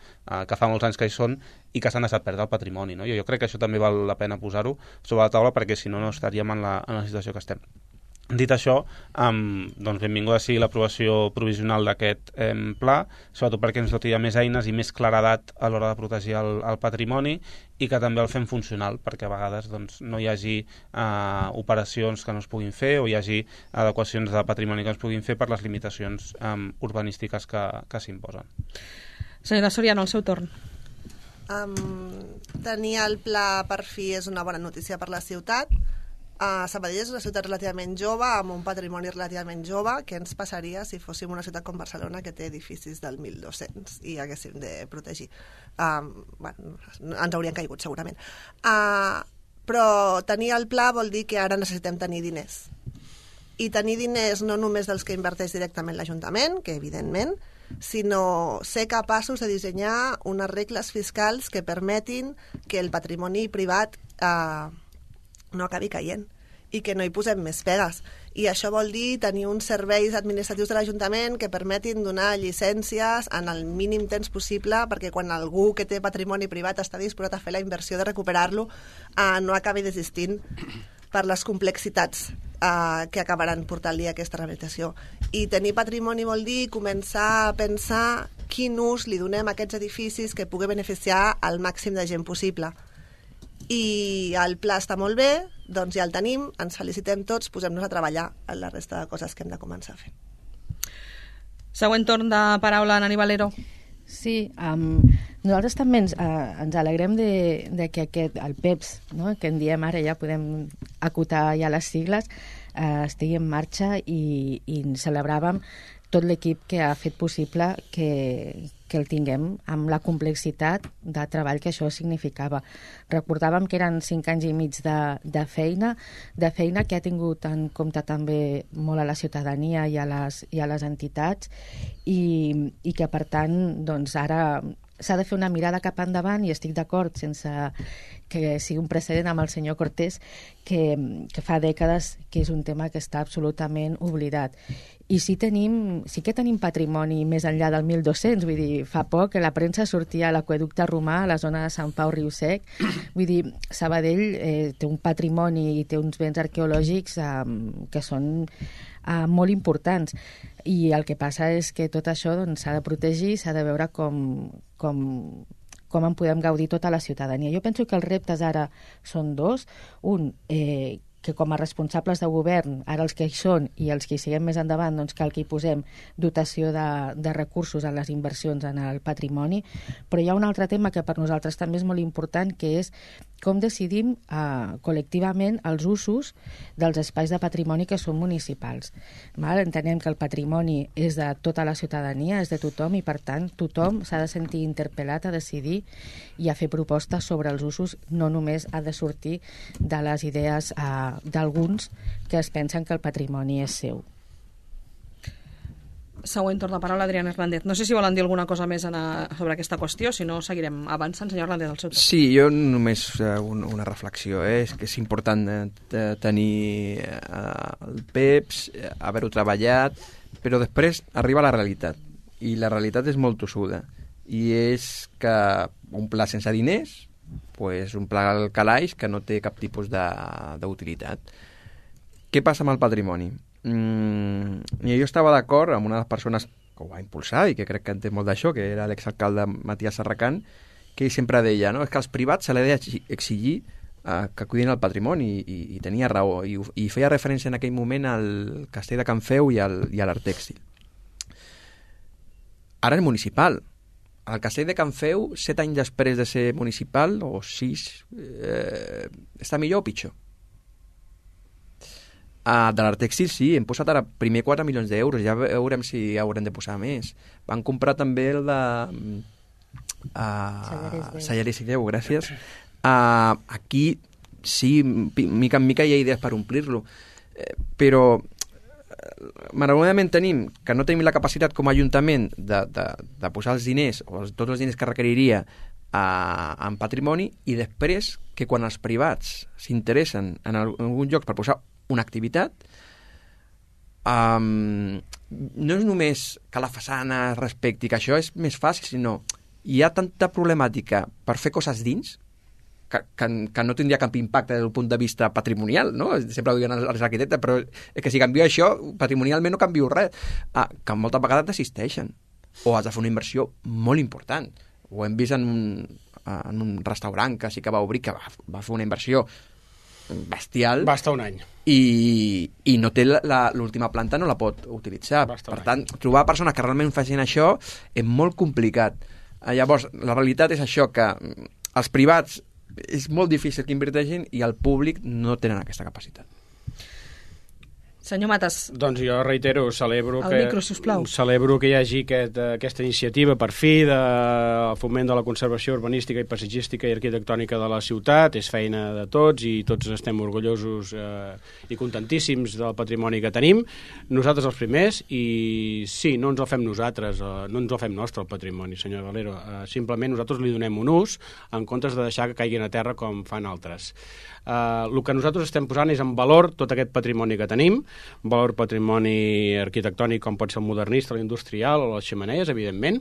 que fa molts anys que hi són, i que s'han deixat perdre el patrimoni, no? Jo crec que això també val la pena posar-ho sobre la taula, perquè si no, no estaríem en la situació que estem. Dit això, doncs benvinguda sigui l'aprovació provisional d'aquest pla, sobretot perquè ens doti més eines i més claredat a l'hora de protegir el patrimoni, i que també el fem funcional, perquè a vegades doncs, no hi hagi operacions que no es puguin fer o hi hagi adequacions de patrimoni que es puguin fer per les limitacions urbanístiques que s'imposen. Senyora Soriano, el seu torn. Tenir el pla per fi és una bona notícia per la ciutat. Sabadell és una ciutat relativament jove, amb un patrimoni relativament jove. Què ens passaria si fóssim una ciutat com Barcelona, que té edificis del 1200 i haguéssim de protegir? Ens haurien caigut segurament. Però tenir el pla vol dir que ara necessitem tenir diners. I tenir diners no només dels que inverteix directament l'Ajuntament, que evidentment, sinó ser capaços de dissenyar unes regles fiscals que permetin que el patrimoni privat no acabi caient i que no hi posem més pegues. I això vol dir tenir uns serveis administratius de l'Ajuntament que permetin donar llicències en el mínim temps possible, perquè quan algú que té patrimoni privat està disposat a fer la inversió de recuperar-lo, no acabi desistint per les complexitats que acabaran portant-li aquesta rehabilitació. I tenir patrimoni vol dir començar a pensar quin ús li donem a aquests edificis que pugui beneficiar al màxim de gent possible. I el pla està molt bé, doncs ja el tenim, ens felicitem tots, posem-nos a treballar en la resta de coses que hem de començar a fer. Següent torn de paraula, Nani Valero. Sí, nosaltres també ens alegrem de que el PEPS, no? Que en diem ara, ja podem acotar ja les sigles, estigui en marxa i celebràvem tot l'equip que ha fet possible que el tinguem amb la complexitat de treball que això significava. Recordàvem que eren 5 anys i mig de feina que ha tingut en compte també molt a la ciutadania i a les entitats i que per tant doncs ara s'ha de fer una mirada cap endavant i estic d'acord sense que sigui un precedent amb el senyor Cortés que fa dècades que és un tema que està absolutament oblidat. I sí que tenim patrimoni més enllà del 1200, vull dir, fa poc que la premsa sortia a l'aqüeducte romà, a la zona de Sant Pau Riu Sec, vull dir, Sabadell té un patrimoni i té uns béns arqueològics que són molt importants, i el que passa és que tot això s'ha de protegir, s'ha de veure com en podem gaudir tota la ciutadania. Jo penso que els reptes ara són dos. Un, que com a responsables de govern, ara els que hi són i els que hi siguem més endavant, doncs cal que hi posem dotació de recursos en les inversions en el patrimoni, però hi ha un altre tema que per nosaltres també és molt important, que és com decidim col·lectivament els usos dels espais de patrimoni que són municipals. Entenem que el patrimoni és de tota la ciutadania, és de tothom, i per tant tothom s'ha de sentir interpel·lat a decidir i a fer propostes sobre els usos, no només ha de sortir de les idees d'alguns que es pensen que el patrimoni és seu. Següent torn de paraula, Adrián Hernández. No sé si volen dir alguna cosa més sobre aquesta qüestió, si no seguirem avançant. Senyor Hernández, el seu torn. Sí, jo només una reflexió. És que és important tenir el PEPS, haver-ho treballat, però després arriba la realitat. I la realitat és molt tossuda. I és que un pla sense diners, pues un pla al calaix que no té cap tipus d'utilitat. Què passa amb el patrimoni? Jo estava d'acord amb una de les persones que ho va impulsar i que crec que en té molt d'això, que era l'exalcalde Matías Serracant, que ell sempre deia, no? És que als privats se li ha d'exigir que cuidin el patrimoni, i tenia raó, i feia referència en aquell moment al castell de Can Feu i a l'Art Tèxtil. Ara és municipal. El castell de Can Feu, 7 anys després de ser municipal, o 6, està millor o pitjor? De l'Art Tèxtil sí, hem posat ara primer 4 milions d'euros, ja veurem si haurem de posar més. Van comprar també el de Salleres i Déu, gràcies. Aquí sí, mica en mica hi ha idees per omplir-lo, però malauradament tenim que no tenim la capacitat com a Ajuntament de posar els diners, o tots els diners que requeriria en patrimoni, i després que quan els privats s'interessen en algun lloc per posar una activitat, no és només que la façana es respecti, que això és més fàcil, sinó hi ha tanta problemàtica per fer coses dins que no tindria cap impacte des del punt de vista patrimonial, no? Sempre ho diuen els arquitectes, però és que si canvio això, patrimonialment no canvio res, que moltes vegades desisteixen, o has de fer una inversió molt important. Ho hem vist en un restaurant que sí que va obrir, que va fer una inversió bestial. Va estar un any. I no té l'última planta, no la pot utilitzar. Per tant, trobar persones que realment facin això és molt complicat. Llavors, la realitat és això, que els privats és molt difícil que inverteixin i el públic no tenen aquesta capacitat. Senyor Matas. Doncs jo reitero, celebro que hi hagi aquesta iniciativa per fi de foment de la conservació urbanística i paisatgística i arquitectònica de la ciutat. És feina de tots i tots estem orgullosos i contentíssims del patrimoni que tenim. Nosaltres els primers, i sí, no ens el fem nosaltres, no ens el fem nostre el patrimoni, senyor Valero. Simplement nosaltres li donem un ús en comptes de deixar que caiguin a terra com fan altres. El que nosaltres estem posant és en valor tot aquest patrimoni que tenim, valor patrimoni arquitectònic com pot ser el modernista, l'industrial o les xemeneies, evidentment.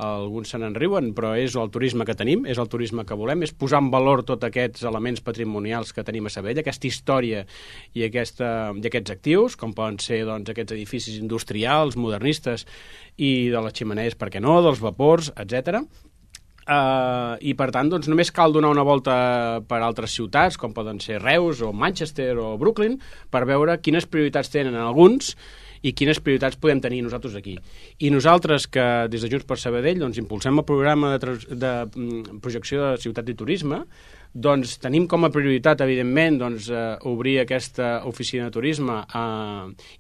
Alguns se n'enriuen, però és el turisme que tenim, és el turisme que volem, és posar en valor tots aquests elements patrimonials que tenim a Sabadell, aquesta història i aquests actius, com poden ser doncs, aquests edificis industrials, modernistes i de les xemeneies, per què no, dels vapors, etc. I per tant doncs, només cal donar una volta per altres ciutats com poden ser Reus o Manchester o Brooklyn per veure quines prioritats tenen alguns i quines prioritats podem tenir nosaltres aquí. I nosaltres que des de Junts per Sabadell doncs, impulsem el programa de projecció de ciutat i turisme, doncs tenim com a prioritat, evidentment, doncs, obrir aquesta oficina de turisme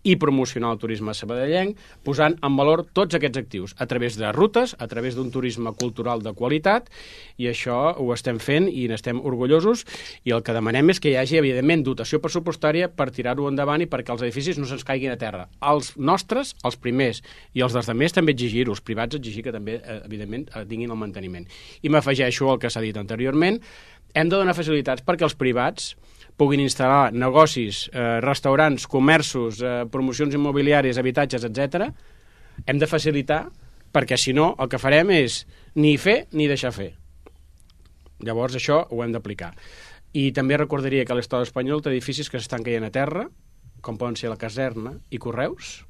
i promocionar el turisme sabadellenc, posant en valor tots aquests actius, a través de rutes, a través d'un turisme cultural de qualitat, i això ho estem fent i n'estem orgullosos, i el que demanem és que hi hagi, evidentment, dotació pressupostària per tirar-ho endavant i perquè els edificis no se'ns caiguin a terra. Els nostres, els primers, i els dels altres també exigir-ho, els privats exigir que també, evidentment, tinguin el manteniment. I m'afegeixo al que s'ha dit anteriorment, hem de donar facilitats perquè els privats puguin instal·lar negocis, restaurants, comerços, promocions immobiliàries, habitatges, etc. Hem de facilitar perquè, si no, el que farem és ni fer ni deixar fer. Llavors, això ho hem d'aplicar. I també recordaria que l'Estat espanyol té edificis que s'estan caient a terra, com poden ser la Caserna i Correus,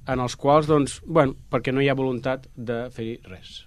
en els quals, doncs, bueno, perquè no hi ha voluntat de fer-hi res.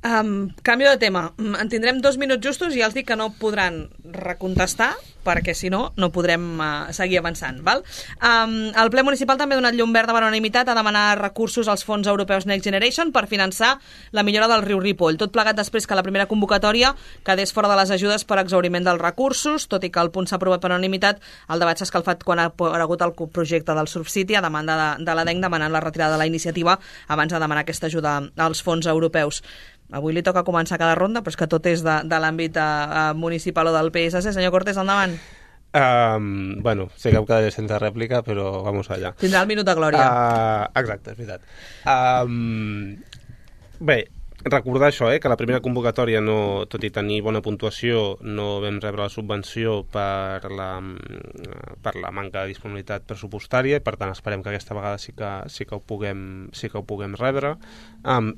Canvi de tema. En tindrem 2 minuts justos i ja els dic que no podran recontestar perquè si no, no podrem seguir avançant. Val? El ple municipal també ha donat llum verda per unanimitat a demanar recursos als fons europeus Next Generation per finançar la millora del riu Ripoll. Tot plegat després que la primera convocatòria quedés fora de les ajudes per exhauriment dels recursos, tot i que el punt s'ha aprovat per unanimitat, el debat s'ha escalfat quan ha aparegut el projecte del Surf City a demanda de l'ADENC demanant la retirada de la iniciativa abans de demanar aquesta ajuda als fons europeus. Avui li toca començar cada ronda, però és que tot és de l'àmbit municipal o del PSC. Senyor Cortés, endavant. Bueno, sé que em quedaré sense rèplica, però vamos allà. Tindrà el minut de glòria. Exacte, és veritat. Bé, recordar això, que la primera convocatòria, no, tot i tenir bona puntuació, no vam rebre la subvenció per la manca de disponibilitat pressupostària i per tant esperem que aquesta vegada sí que ho puguem rebre.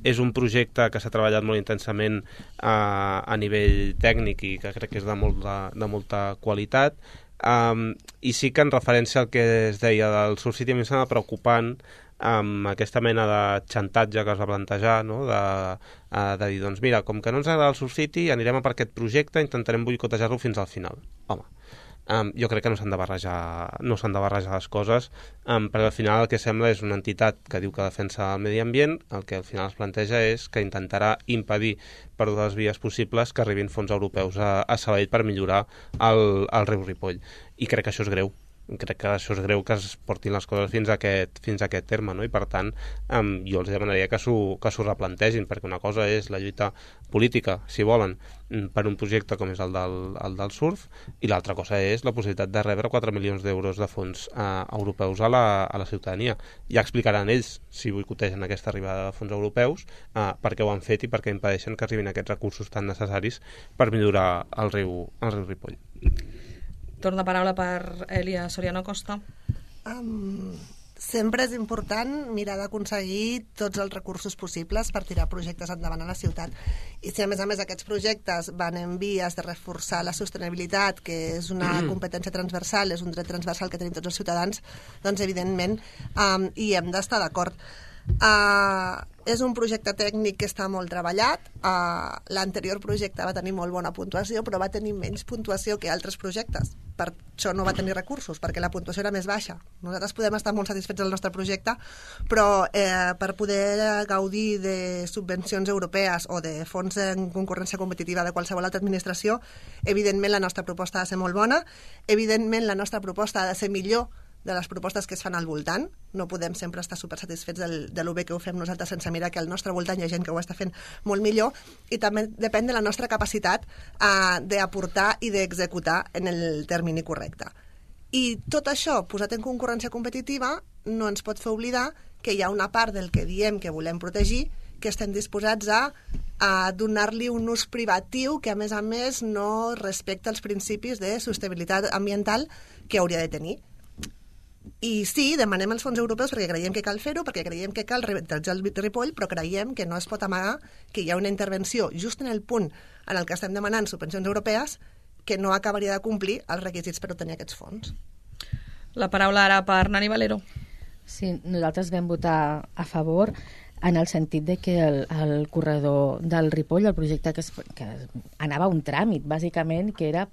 És un projecte que s'ha treballat molt intensament a nivell tècnic i que crec que és de molta qualitat. I sí que en referència al que es deia del Surf City, a mi em sembla preocupant amb aquesta mena de xantatge que es va plantejar, no? de dir, doncs mira, com que no ens agrada el Surf City, anirem a per aquest projecte, intentarem boicotejar-lo fins al final. Home, jo crec que no s'han de barrejar les coses, perquè al final el que sembla és una entitat que diu que defensa el medi ambient, el que al final es planteja és que intentarà impedir per totes les vies possibles que arribin fons europeus a Sabadell per millorar el riu Ripoll. I crec que això és greu. crec que això és greu que es portin les coses fins a aquest terme, no? I per tant jo els demanaria que s'ho replantegin, perquè una cosa és la lluita política, si volen, per un projecte com és el del surf, i l'altra cosa és la possibilitat de rebre 4 milions d'euros de fons europeus a la ciutadania. Ja explicaran ells, si boicotegen aquesta arribada de fons europeus, per què ho han fet i per què impedeixen que arribin aquests recursos tan necessaris per millorar el riu Ripoll. Torna paraula per Elia Soriano Costa. Sempre és important mirar d'aconseguir tots els recursos possibles per tirar projectes endavant a la ciutat. I si a més aquests projectes van en vies de reforçar la sostenibilitat, que és una competència transversal, és un dret transversal que tenim tots els ciutadans, doncs evidentment hi hem d'estar d'acord. És un projecte tècnic que està molt treballat. L'anterior projecte va tenir molt bona puntuació, però va tenir menys puntuació que altres projectes. Per això no va tenir recursos, perquè la puntuació era més baixa. Nosaltres podem estar molt satisfets del nostre projecte, però per poder gaudir de subvencions europees o de fons en concurrència competitiva de qualsevol altra administració, evidentment la nostra proposta ha de ser molt bona, evidentment la nostra proposta ha de ser millor de les propostes que es fan al voltant. No podem sempre estar supersatisfets de lo bé que ho fem nosaltres sense mirar que al nostre voltant hi ha gent que ho està fent molt millor, i també depèn de la nostra capacitat d'aportar i d'executar en el termini correcte. I tot això, posat en concurrència competitiva, no ens pot fer oblidar que hi ha una part del que diem que volem protegir que estem disposats a donar-li un ús privatiu que, a més, no respecta els principis de sostenibilitat ambiental que hauria de tenir. I sí, demanem els fons europeus perquè creiem que cal fer-ho, perquè creiem que cal revitalitzar el Ripoll, però creiem que no es pot amagar que hi ha una intervenció just en el punt en el que estem demanant subvencions europees que no acabaria de complir els requisits per obtenir aquests fons. La paraula ara per Nani Valero. Sí, nosaltres vam votar a favor en el sentit de que el corredor del Ripoll, el projecte que anava a un tràmit, bàsicament, que era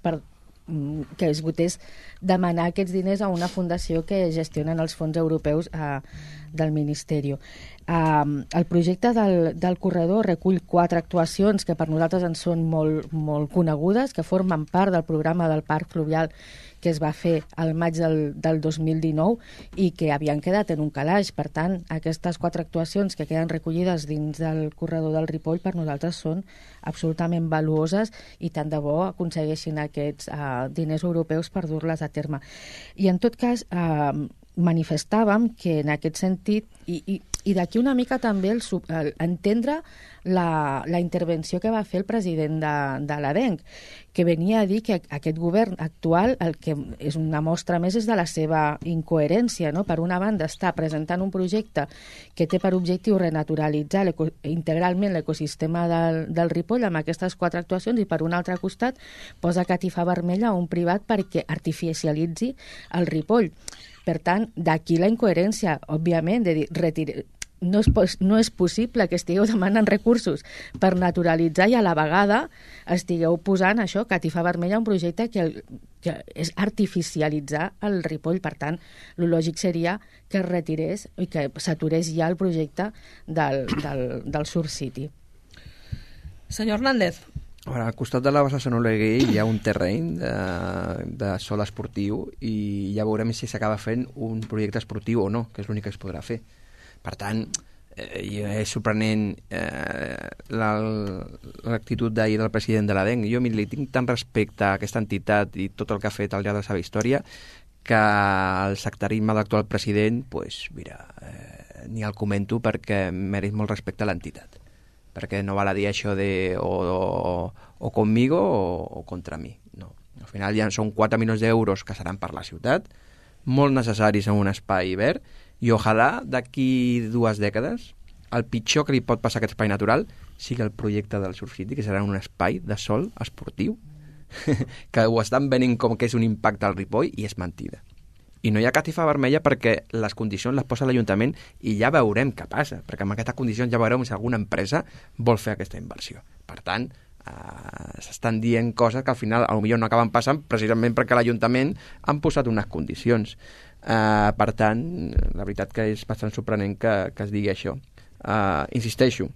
que es votés demanar aquests diners a una fundació que gestionen els fons europeus del Ministeri. El projecte del corredor recull 4 actuacions que per nosaltres en són molt, molt conegudes, que formen part del programa del Parc Fluvial que es va fer al maig del 2019 i que havien quedat en un calaix. Per tant, aquestes 4 actuacions que queden recollides dins del corredor del Ripoll per nosaltres són absolutament valuoses i tant de bo aconsegueixin aquests diners europeus per dur-les a terme. I en tot cas, manifestàvem que en aquest sentit, i d'aquí una mica també entendre la intervenció que va fer el president de l'ADENC, que venia a dir que aquest govern actual el que és una mostra més és de la seva incoherència, no? Per una banda està presentant un projecte que té per objectiu renaturalitzar integralment l'ecosistema del Ripoll amb aquestes 4 actuacions, i per un altre costat posa catifa vermella a un privat perquè artificialitzi el Ripoll. Per tant, d'aquí la incoherència, òbviament, de dir, no és possible que estigueu demanant recursos per naturalitzar i a la vegada estigueu posant això, catifa vermella, un projecte que és artificialitzar el Ripoll. Per tant, el lògic seria que es retirés i que s'aturés ja el projecte del Surf City. Senyor Hernández. Al costat de la bassa Sant Oleguer hi ha un terreny de sol esportiu i ja veurem si s'acaba fent un projecte esportiu o no, que és l'únic que es podrà fer. Per tant, és sorprenent l'actitud d'ahir del president de l'ADENC. Jo li tinc tant respecte a aquesta entitat i tot el que ha fet al llarg de la seva història que el sectarisme de l'actual president, ni el comento perquè mereix molt respecte a l'entitat. Perquè no val a dir això de o conmigo o contra mi. No. Al final ja són 4 milions d'euros que seran per la ciutat, molt necessaris en un espai verd, i ojalà d'aquí 2 dècades el pitjor que li pot passar a aquest espai natural sigui el projecte del Surf City, que serà un espai de sol esportiu que ho estan venint com que és un impacte al Ripoll i és mentida. I no hi ha catifa vermella perquè les condicions les posa l'Ajuntament i ja veurem què passa, perquè amb aquestes condicions ja veurem si alguna empresa vol fer aquesta inversió. Per tant, s'estan dient coses que al final potser no acaben passant precisament perquè l'Ajuntament han posat unes condicions. Per tant, la veritat que és bastant sorprenent que es digui això. Insisteixo,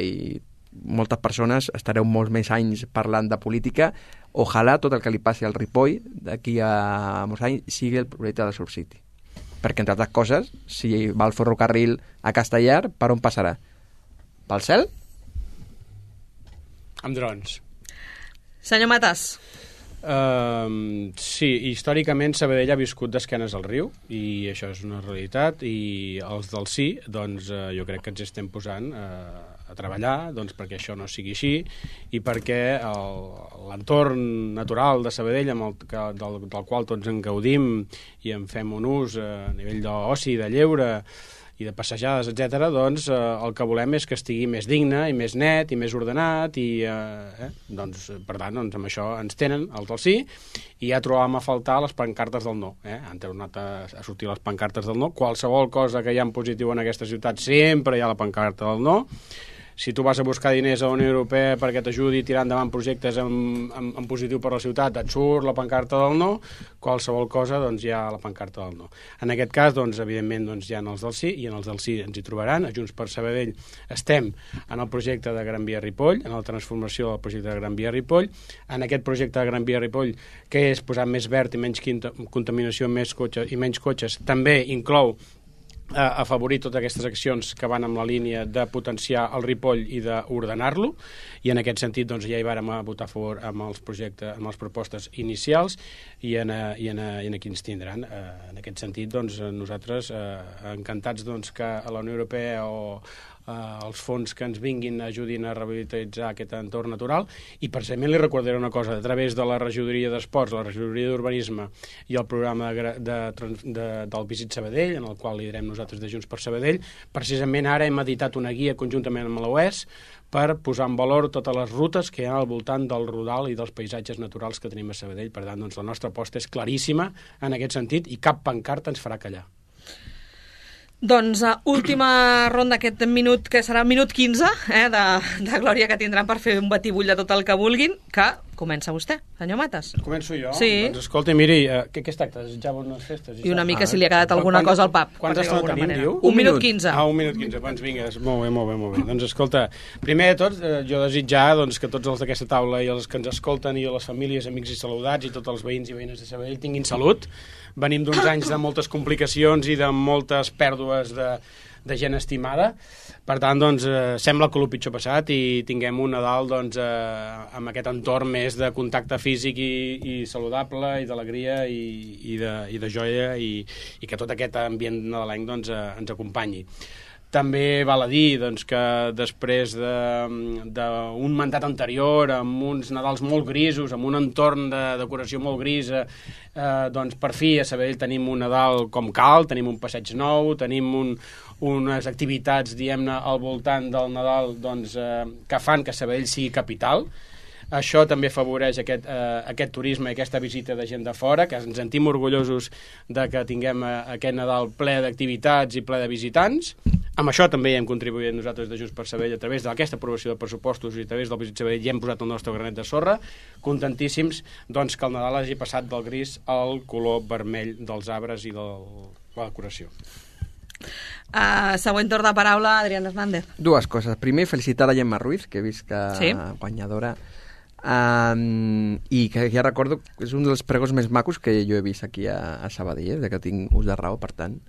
i moltes persones estareu molts més anys parlant de política. Ojalà tot el que li passi al Ripoll d'aquí a molts anys sigui el projecte de Surf City. Perquè, entre altres coses, si va el ferrocarril a Castellar, per on passarà? Pel cel? Amb drons. Senyor Matas. Sí, històricament Sabadell ha viscut d'esquenes al riu i això és una realitat, i els del sí, doncs jo crec que ens estem posant a treballar doncs, perquè això no sigui així i perquè l'entorn natural de Sabadell del qual tots en gaudim i en fem un ús a nivell d'oci, de lleure i de passejades, etc., doncs el que volem és que estigui més digne i més net i més ordenat i doncs, per tant, doncs, amb això ens tenen els del sí i ja trobàvem a faltar les pancartes del no. Han tornat a sortir les pancartes del no. Qualsevol cosa que hi ha en positiu en aquesta ciutat sempre hi ha la pancarta del no. Si tu vas a buscar diners a la Unió Europea perquè t'ajudi a tirar endavant projectes en positiu per a la ciutat, et surt la pancarta del no, qualsevol cosa, doncs hi ha la pancarta del no. En aquest cas, doncs, evidentment, doncs, hi ha els del sí, i en els del sí ens hi trobaran. A Junts per Sabadell estem en el projecte de Gran Via Ripoll, en la transformació del projecte de Gran Via Ripoll. En aquest projecte de Gran Via Ripoll, que és posar més verd i menys contaminació, més cotxes i menys cotxes, també inclou afavorir totes aquestes accions que van amb la línia de potenciar el Ripoll i d'ordenar-lo, i en aquest sentit doncs, ja hi vàrem votar a favor amb els projectes, amb les propostes inicials i aquí ens tindran. En aquest sentit, doncs, nosaltres encantats doncs, que a la Unió Europea o els fons que ens vinguin ajudin a revitalitzar aquest entorn natural, i precisament li recordaré una cosa, a través de la regidoria d'esports, la regidoria d'urbanisme i el programa del Visit Sabadell, en el qual liderem nosaltres de Junts per Sabadell, precisament ara hem editat una guia conjuntament amb l'OES per posar en valor totes les rutes que hi ha al voltant del Rodal i dels paisatges naturals que tenim a Sabadell. Per tant, doncs, la nostra aposta és claríssima en aquest sentit i cap pancarta ens farà callar. Doncs última ronda, aquest minut, que serà minut 15, de glòria que tindran per fer un batibull de tot el que vulguin, que comença vostè, senyor Matas. Començo jo? Sí. Doncs escolta, miri, què es tracta? Desitjar bones festes? I una mica si li ha quedat alguna cosa al pap. Quanta estona tenim, diu? Un minut 15. Un minut 15, doncs vinga, molt bé. Doncs escolta, primer de tot, jo desitjar doncs, que tots els d'aquesta taula i els que ens escolten i les famílies, amics i saludats i tots els veïns i veïnes de Sabadell tinguin salut. Venim d'uns anys de moltes complicacions i de moltes pèrdues de gent estimada. Per tant, doncs, sembla que el pitjor passat i tinguem un Nadal doncs, amb aquest entorn més de contacte físic i saludable i d'alegria i de joia i que tot aquest ambient nadalenc doncs, ens acompanyi. També val a dir doncs, que després d'un mandat anterior, amb uns Nadals molt grisos, amb un entorn de decoració molt gris, doncs per fi a Sabadell tenim un Nadal com cal, tenim un passeig nou, tenim unes activitats, diguem-ne, al voltant del Nadal doncs, que fan que Sabadell sigui capital. Això també afavoreix aquest turisme i aquesta visita de gent de fora, que ens sentim orgullosos de que tinguem aquest Nadal ple d'activitats i ple de visitants. Amb això també hem contribuït nosaltres de Junts per Sabadell a través d'aquesta aprovació de pressupostos i a través del Visit Sabadell i hem posat el nostre granet de sorra, contentíssims doncs, que el Nadal hagi passat del gris al color vermell dels arbres i de la decoració. Següent torn de paraula, Adrián Hernández. Dues coses. Primer, felicitar la Gemma Ruiz, que he vist que guanyadora. I que ja recordo que és un dels pregons més macos que jo he vist aquí a Sabadell, de que tinc ús de raó, per tant,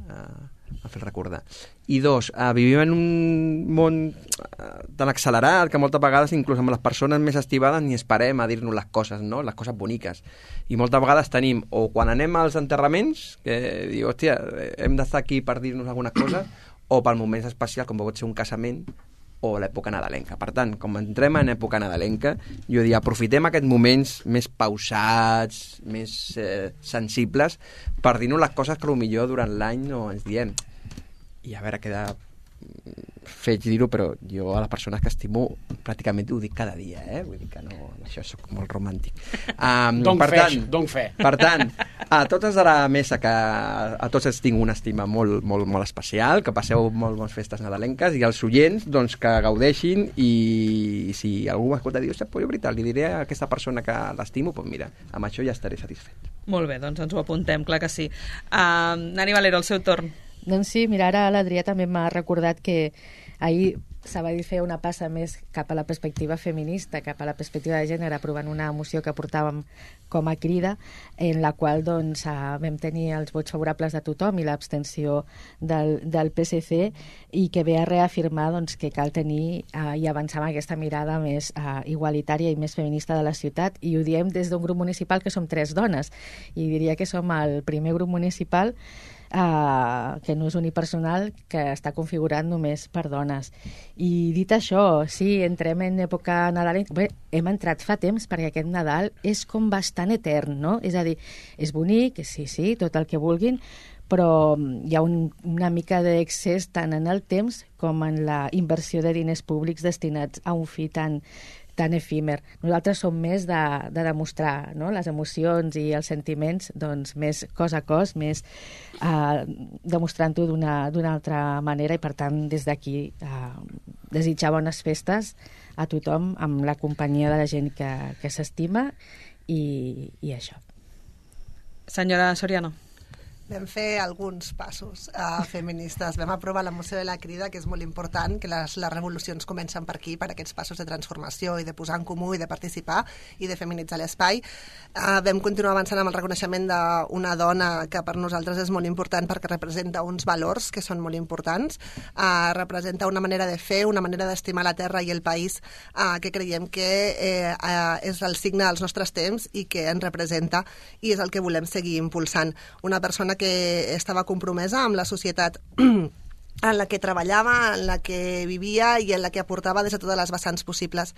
a fer recordar. I dos, vivim en un món tan accelerat que moltes vegades, inclús amb les persones més estimades, ni esperem a dir-nos les coses, no? Les coses boniques. I moltes vegades tenim, o quan anem als enterraments, que diu, hòstia, hem d'estar aquí per dir-nos algunes coses, o per moments especials, com pot ser un casament, o l'època nadalenca. Per tant, com entrem en època nadalenca, jo diria, aprofitem aquests moments més pausats, més sensibles, per dir-nos les coses que potser durant l'any no ens diem. I a veure, queda feig dir-ho, però jo a les persones que estimo pràcticament ho dic cada dia, vull dir que no, això soc molt romàntic. Per tant, a totes de la mesa, que a tots els tinc una estima molt, molt, molt especial, que passeu molt bones festes nadalenques, i als oients doncs, que gaudeixin, i si algú m'escolta i diu, jo veritat, li diré a aquesta persona que l'estimo, doncs mira, amb això ja estaré satisfet. Molt bé, doncs ens ho apuntem, clar que sí. Nani Valero, el seu torn. Doncs sí, mira, ara l'Adrià també m'ha recordat que ahir Sabadell feia una passa més cap a la perspectiva feminista, cap a la perspectiva de gènere, aprovant una moció que portàvem com a crida, en la qual doncs, vam tenir els vots favorables de tothom i l'abstenció del PSC, i que ve a reafirmar doncs, que cal tenir i avançar amb aquesta mirada més igualitària i més feminista de la ciutat, i ho diem des d'un grup municipal que som 3 dones, i diria que som el primer grup municipal que no és unipersonal, que està configurat només per dones. I dit això, sí, entrem en època nadalenca. Bé, hem entrat fa temps, perquè aquest Nadal és com bastant etern, no? És a dir, és bonic, sí, tot el que vulguin, però hi ha una mica d'excés tant en el temps com en la inversió de diners públics destinats a un fi tan efímer. Nosaltres som més de demostrar, no? Les emocions i els sentiments, doncs, més cos a cos, més demostrant-ho d'una altra manera, i per tant des d'aquí desitjar bones festes a tothom amb la companyia de la gent que s'estima i això. Senyora Soriano. Vam fer alguns passos feministes. Vam aprovar la moció de la crida, que és molt important, que les revolucions comencen per aquí, per aquests passos de transformació i de posar en comú i de participar i de feminitzar l'espai. Vam continuar avançant amb el reconeixement d'una dona que per nosaltres és molt important perquè representa uns valors que són molt importants, representa una manera de fer, una manera d'estimar la terra i el país que creiem que és el signe dels nostres temps i que ens representa, i és el que volem seguir impulsant. Una persona que estava compromesa amb la societat en la que treballava, en la que vivia i en la que aportava des de totes les vessants possibles.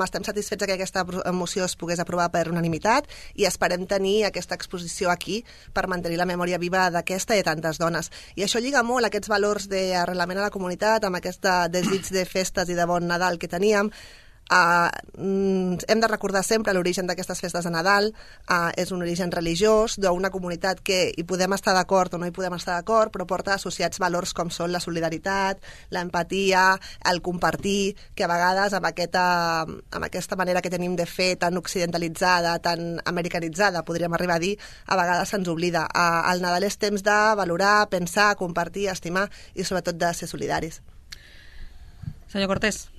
Estem satisfets que aquesta moció es pogués aprovar per unanimitat i esperem tenir aquesta exposició aquí per mantenir la memòria viva d'aquesta i de tantes dones. I això lliga molt aquests valors d'arrelament a la comunitat, amb aquest desig de festes i de bon Nadal que teníem. Hem de recordar sempre l'origen d'aquestes festes de Nadal. És un origen religiós d'una comunitat que hi podem estar d'acord o no hi podem estar d'acord, però porta associats valors com són la solidaritat, l'empatia, el compartir, que a vegades amb aquesta manera que tenim de fer tan occidentalitzada, tan americanitzada, podríem arribar a dir, a vegades se'ns oblida. El Nadal és temps de valorar, pensar, compartir, estimar i sobretot de ser solidaris. Senyor Cortés.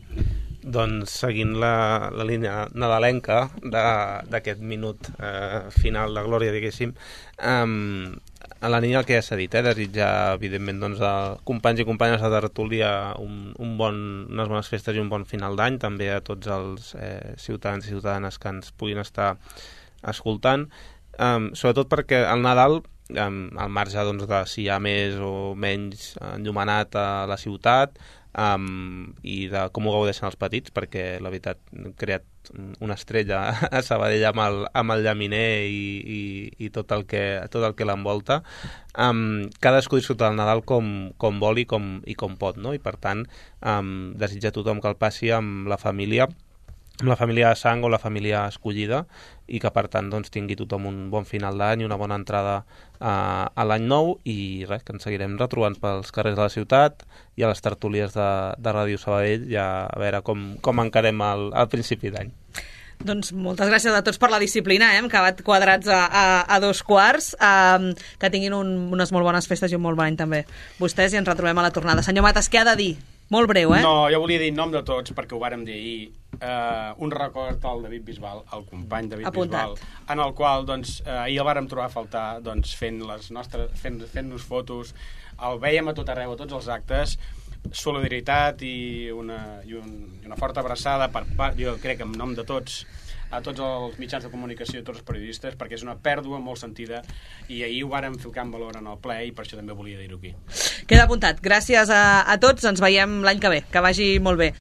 Doncs seguint la línia nadalenca d'aquest minut final de glòria, diguéssim, en la línia del que ja s'ha dit, desitjar, evidentment, doncs, a companys i companyes de tertúlia unes bones festes i un bon final d'any, també a tots els ciutadans i ciutadanes que ens puguin estar escoltant, sobretot perquè el Nadal, al marge doncs, de si hi ha més o menys enllumenat a la ciutat, i de com ho gaudeixen els petits, perquè la veritat hem creat una estrella a Sabadell amb el llaminer i tot el que l'envolta. Cadascú disfruta del Nadal com vol i com pot, no? I per tant desitja a tothom que el passi amb la família de sang o la família escollida, i que per tant doncs, tingui tothom un bon final d'any i una bona entrada a l'any nou, i res, que ens seguirem retrobant pels carrers de la ciutat i a les tertúlies de Ràdio Sabadell, ja a veure com encarem el principi d'any. Doncs moltes gràcies a tots per la disciplina, hem acabat quadrats a 2:15, que tinguin unes molt bones festes i un molt bon any també vostès, i ens retrobem a la tornada. Senyor Matas, què ha de dir? Molt breu, No, jo volia dir en nom de tots, perquè ho vàrem dir ahir, un record al David Bisbal, al company David Bisbal, en el qual doncs, ahir el vàrem trobar a faltar doncs, fent-nos fotos, el vèiem a tot arreu, a tots els actes, solidaritat i una forta abraçada, jo crec que en nom de tots, a tots els mitjans de comunicació i a tots els periodistes, perquè és una pèrdua molt sentida, i ahir ho vàrem ficar en valor en el ple i per això també volia dir-ho aquí. Queda apuntat. Gràcies a tots, ens veiem l'any que ve. Que vagi molt bé.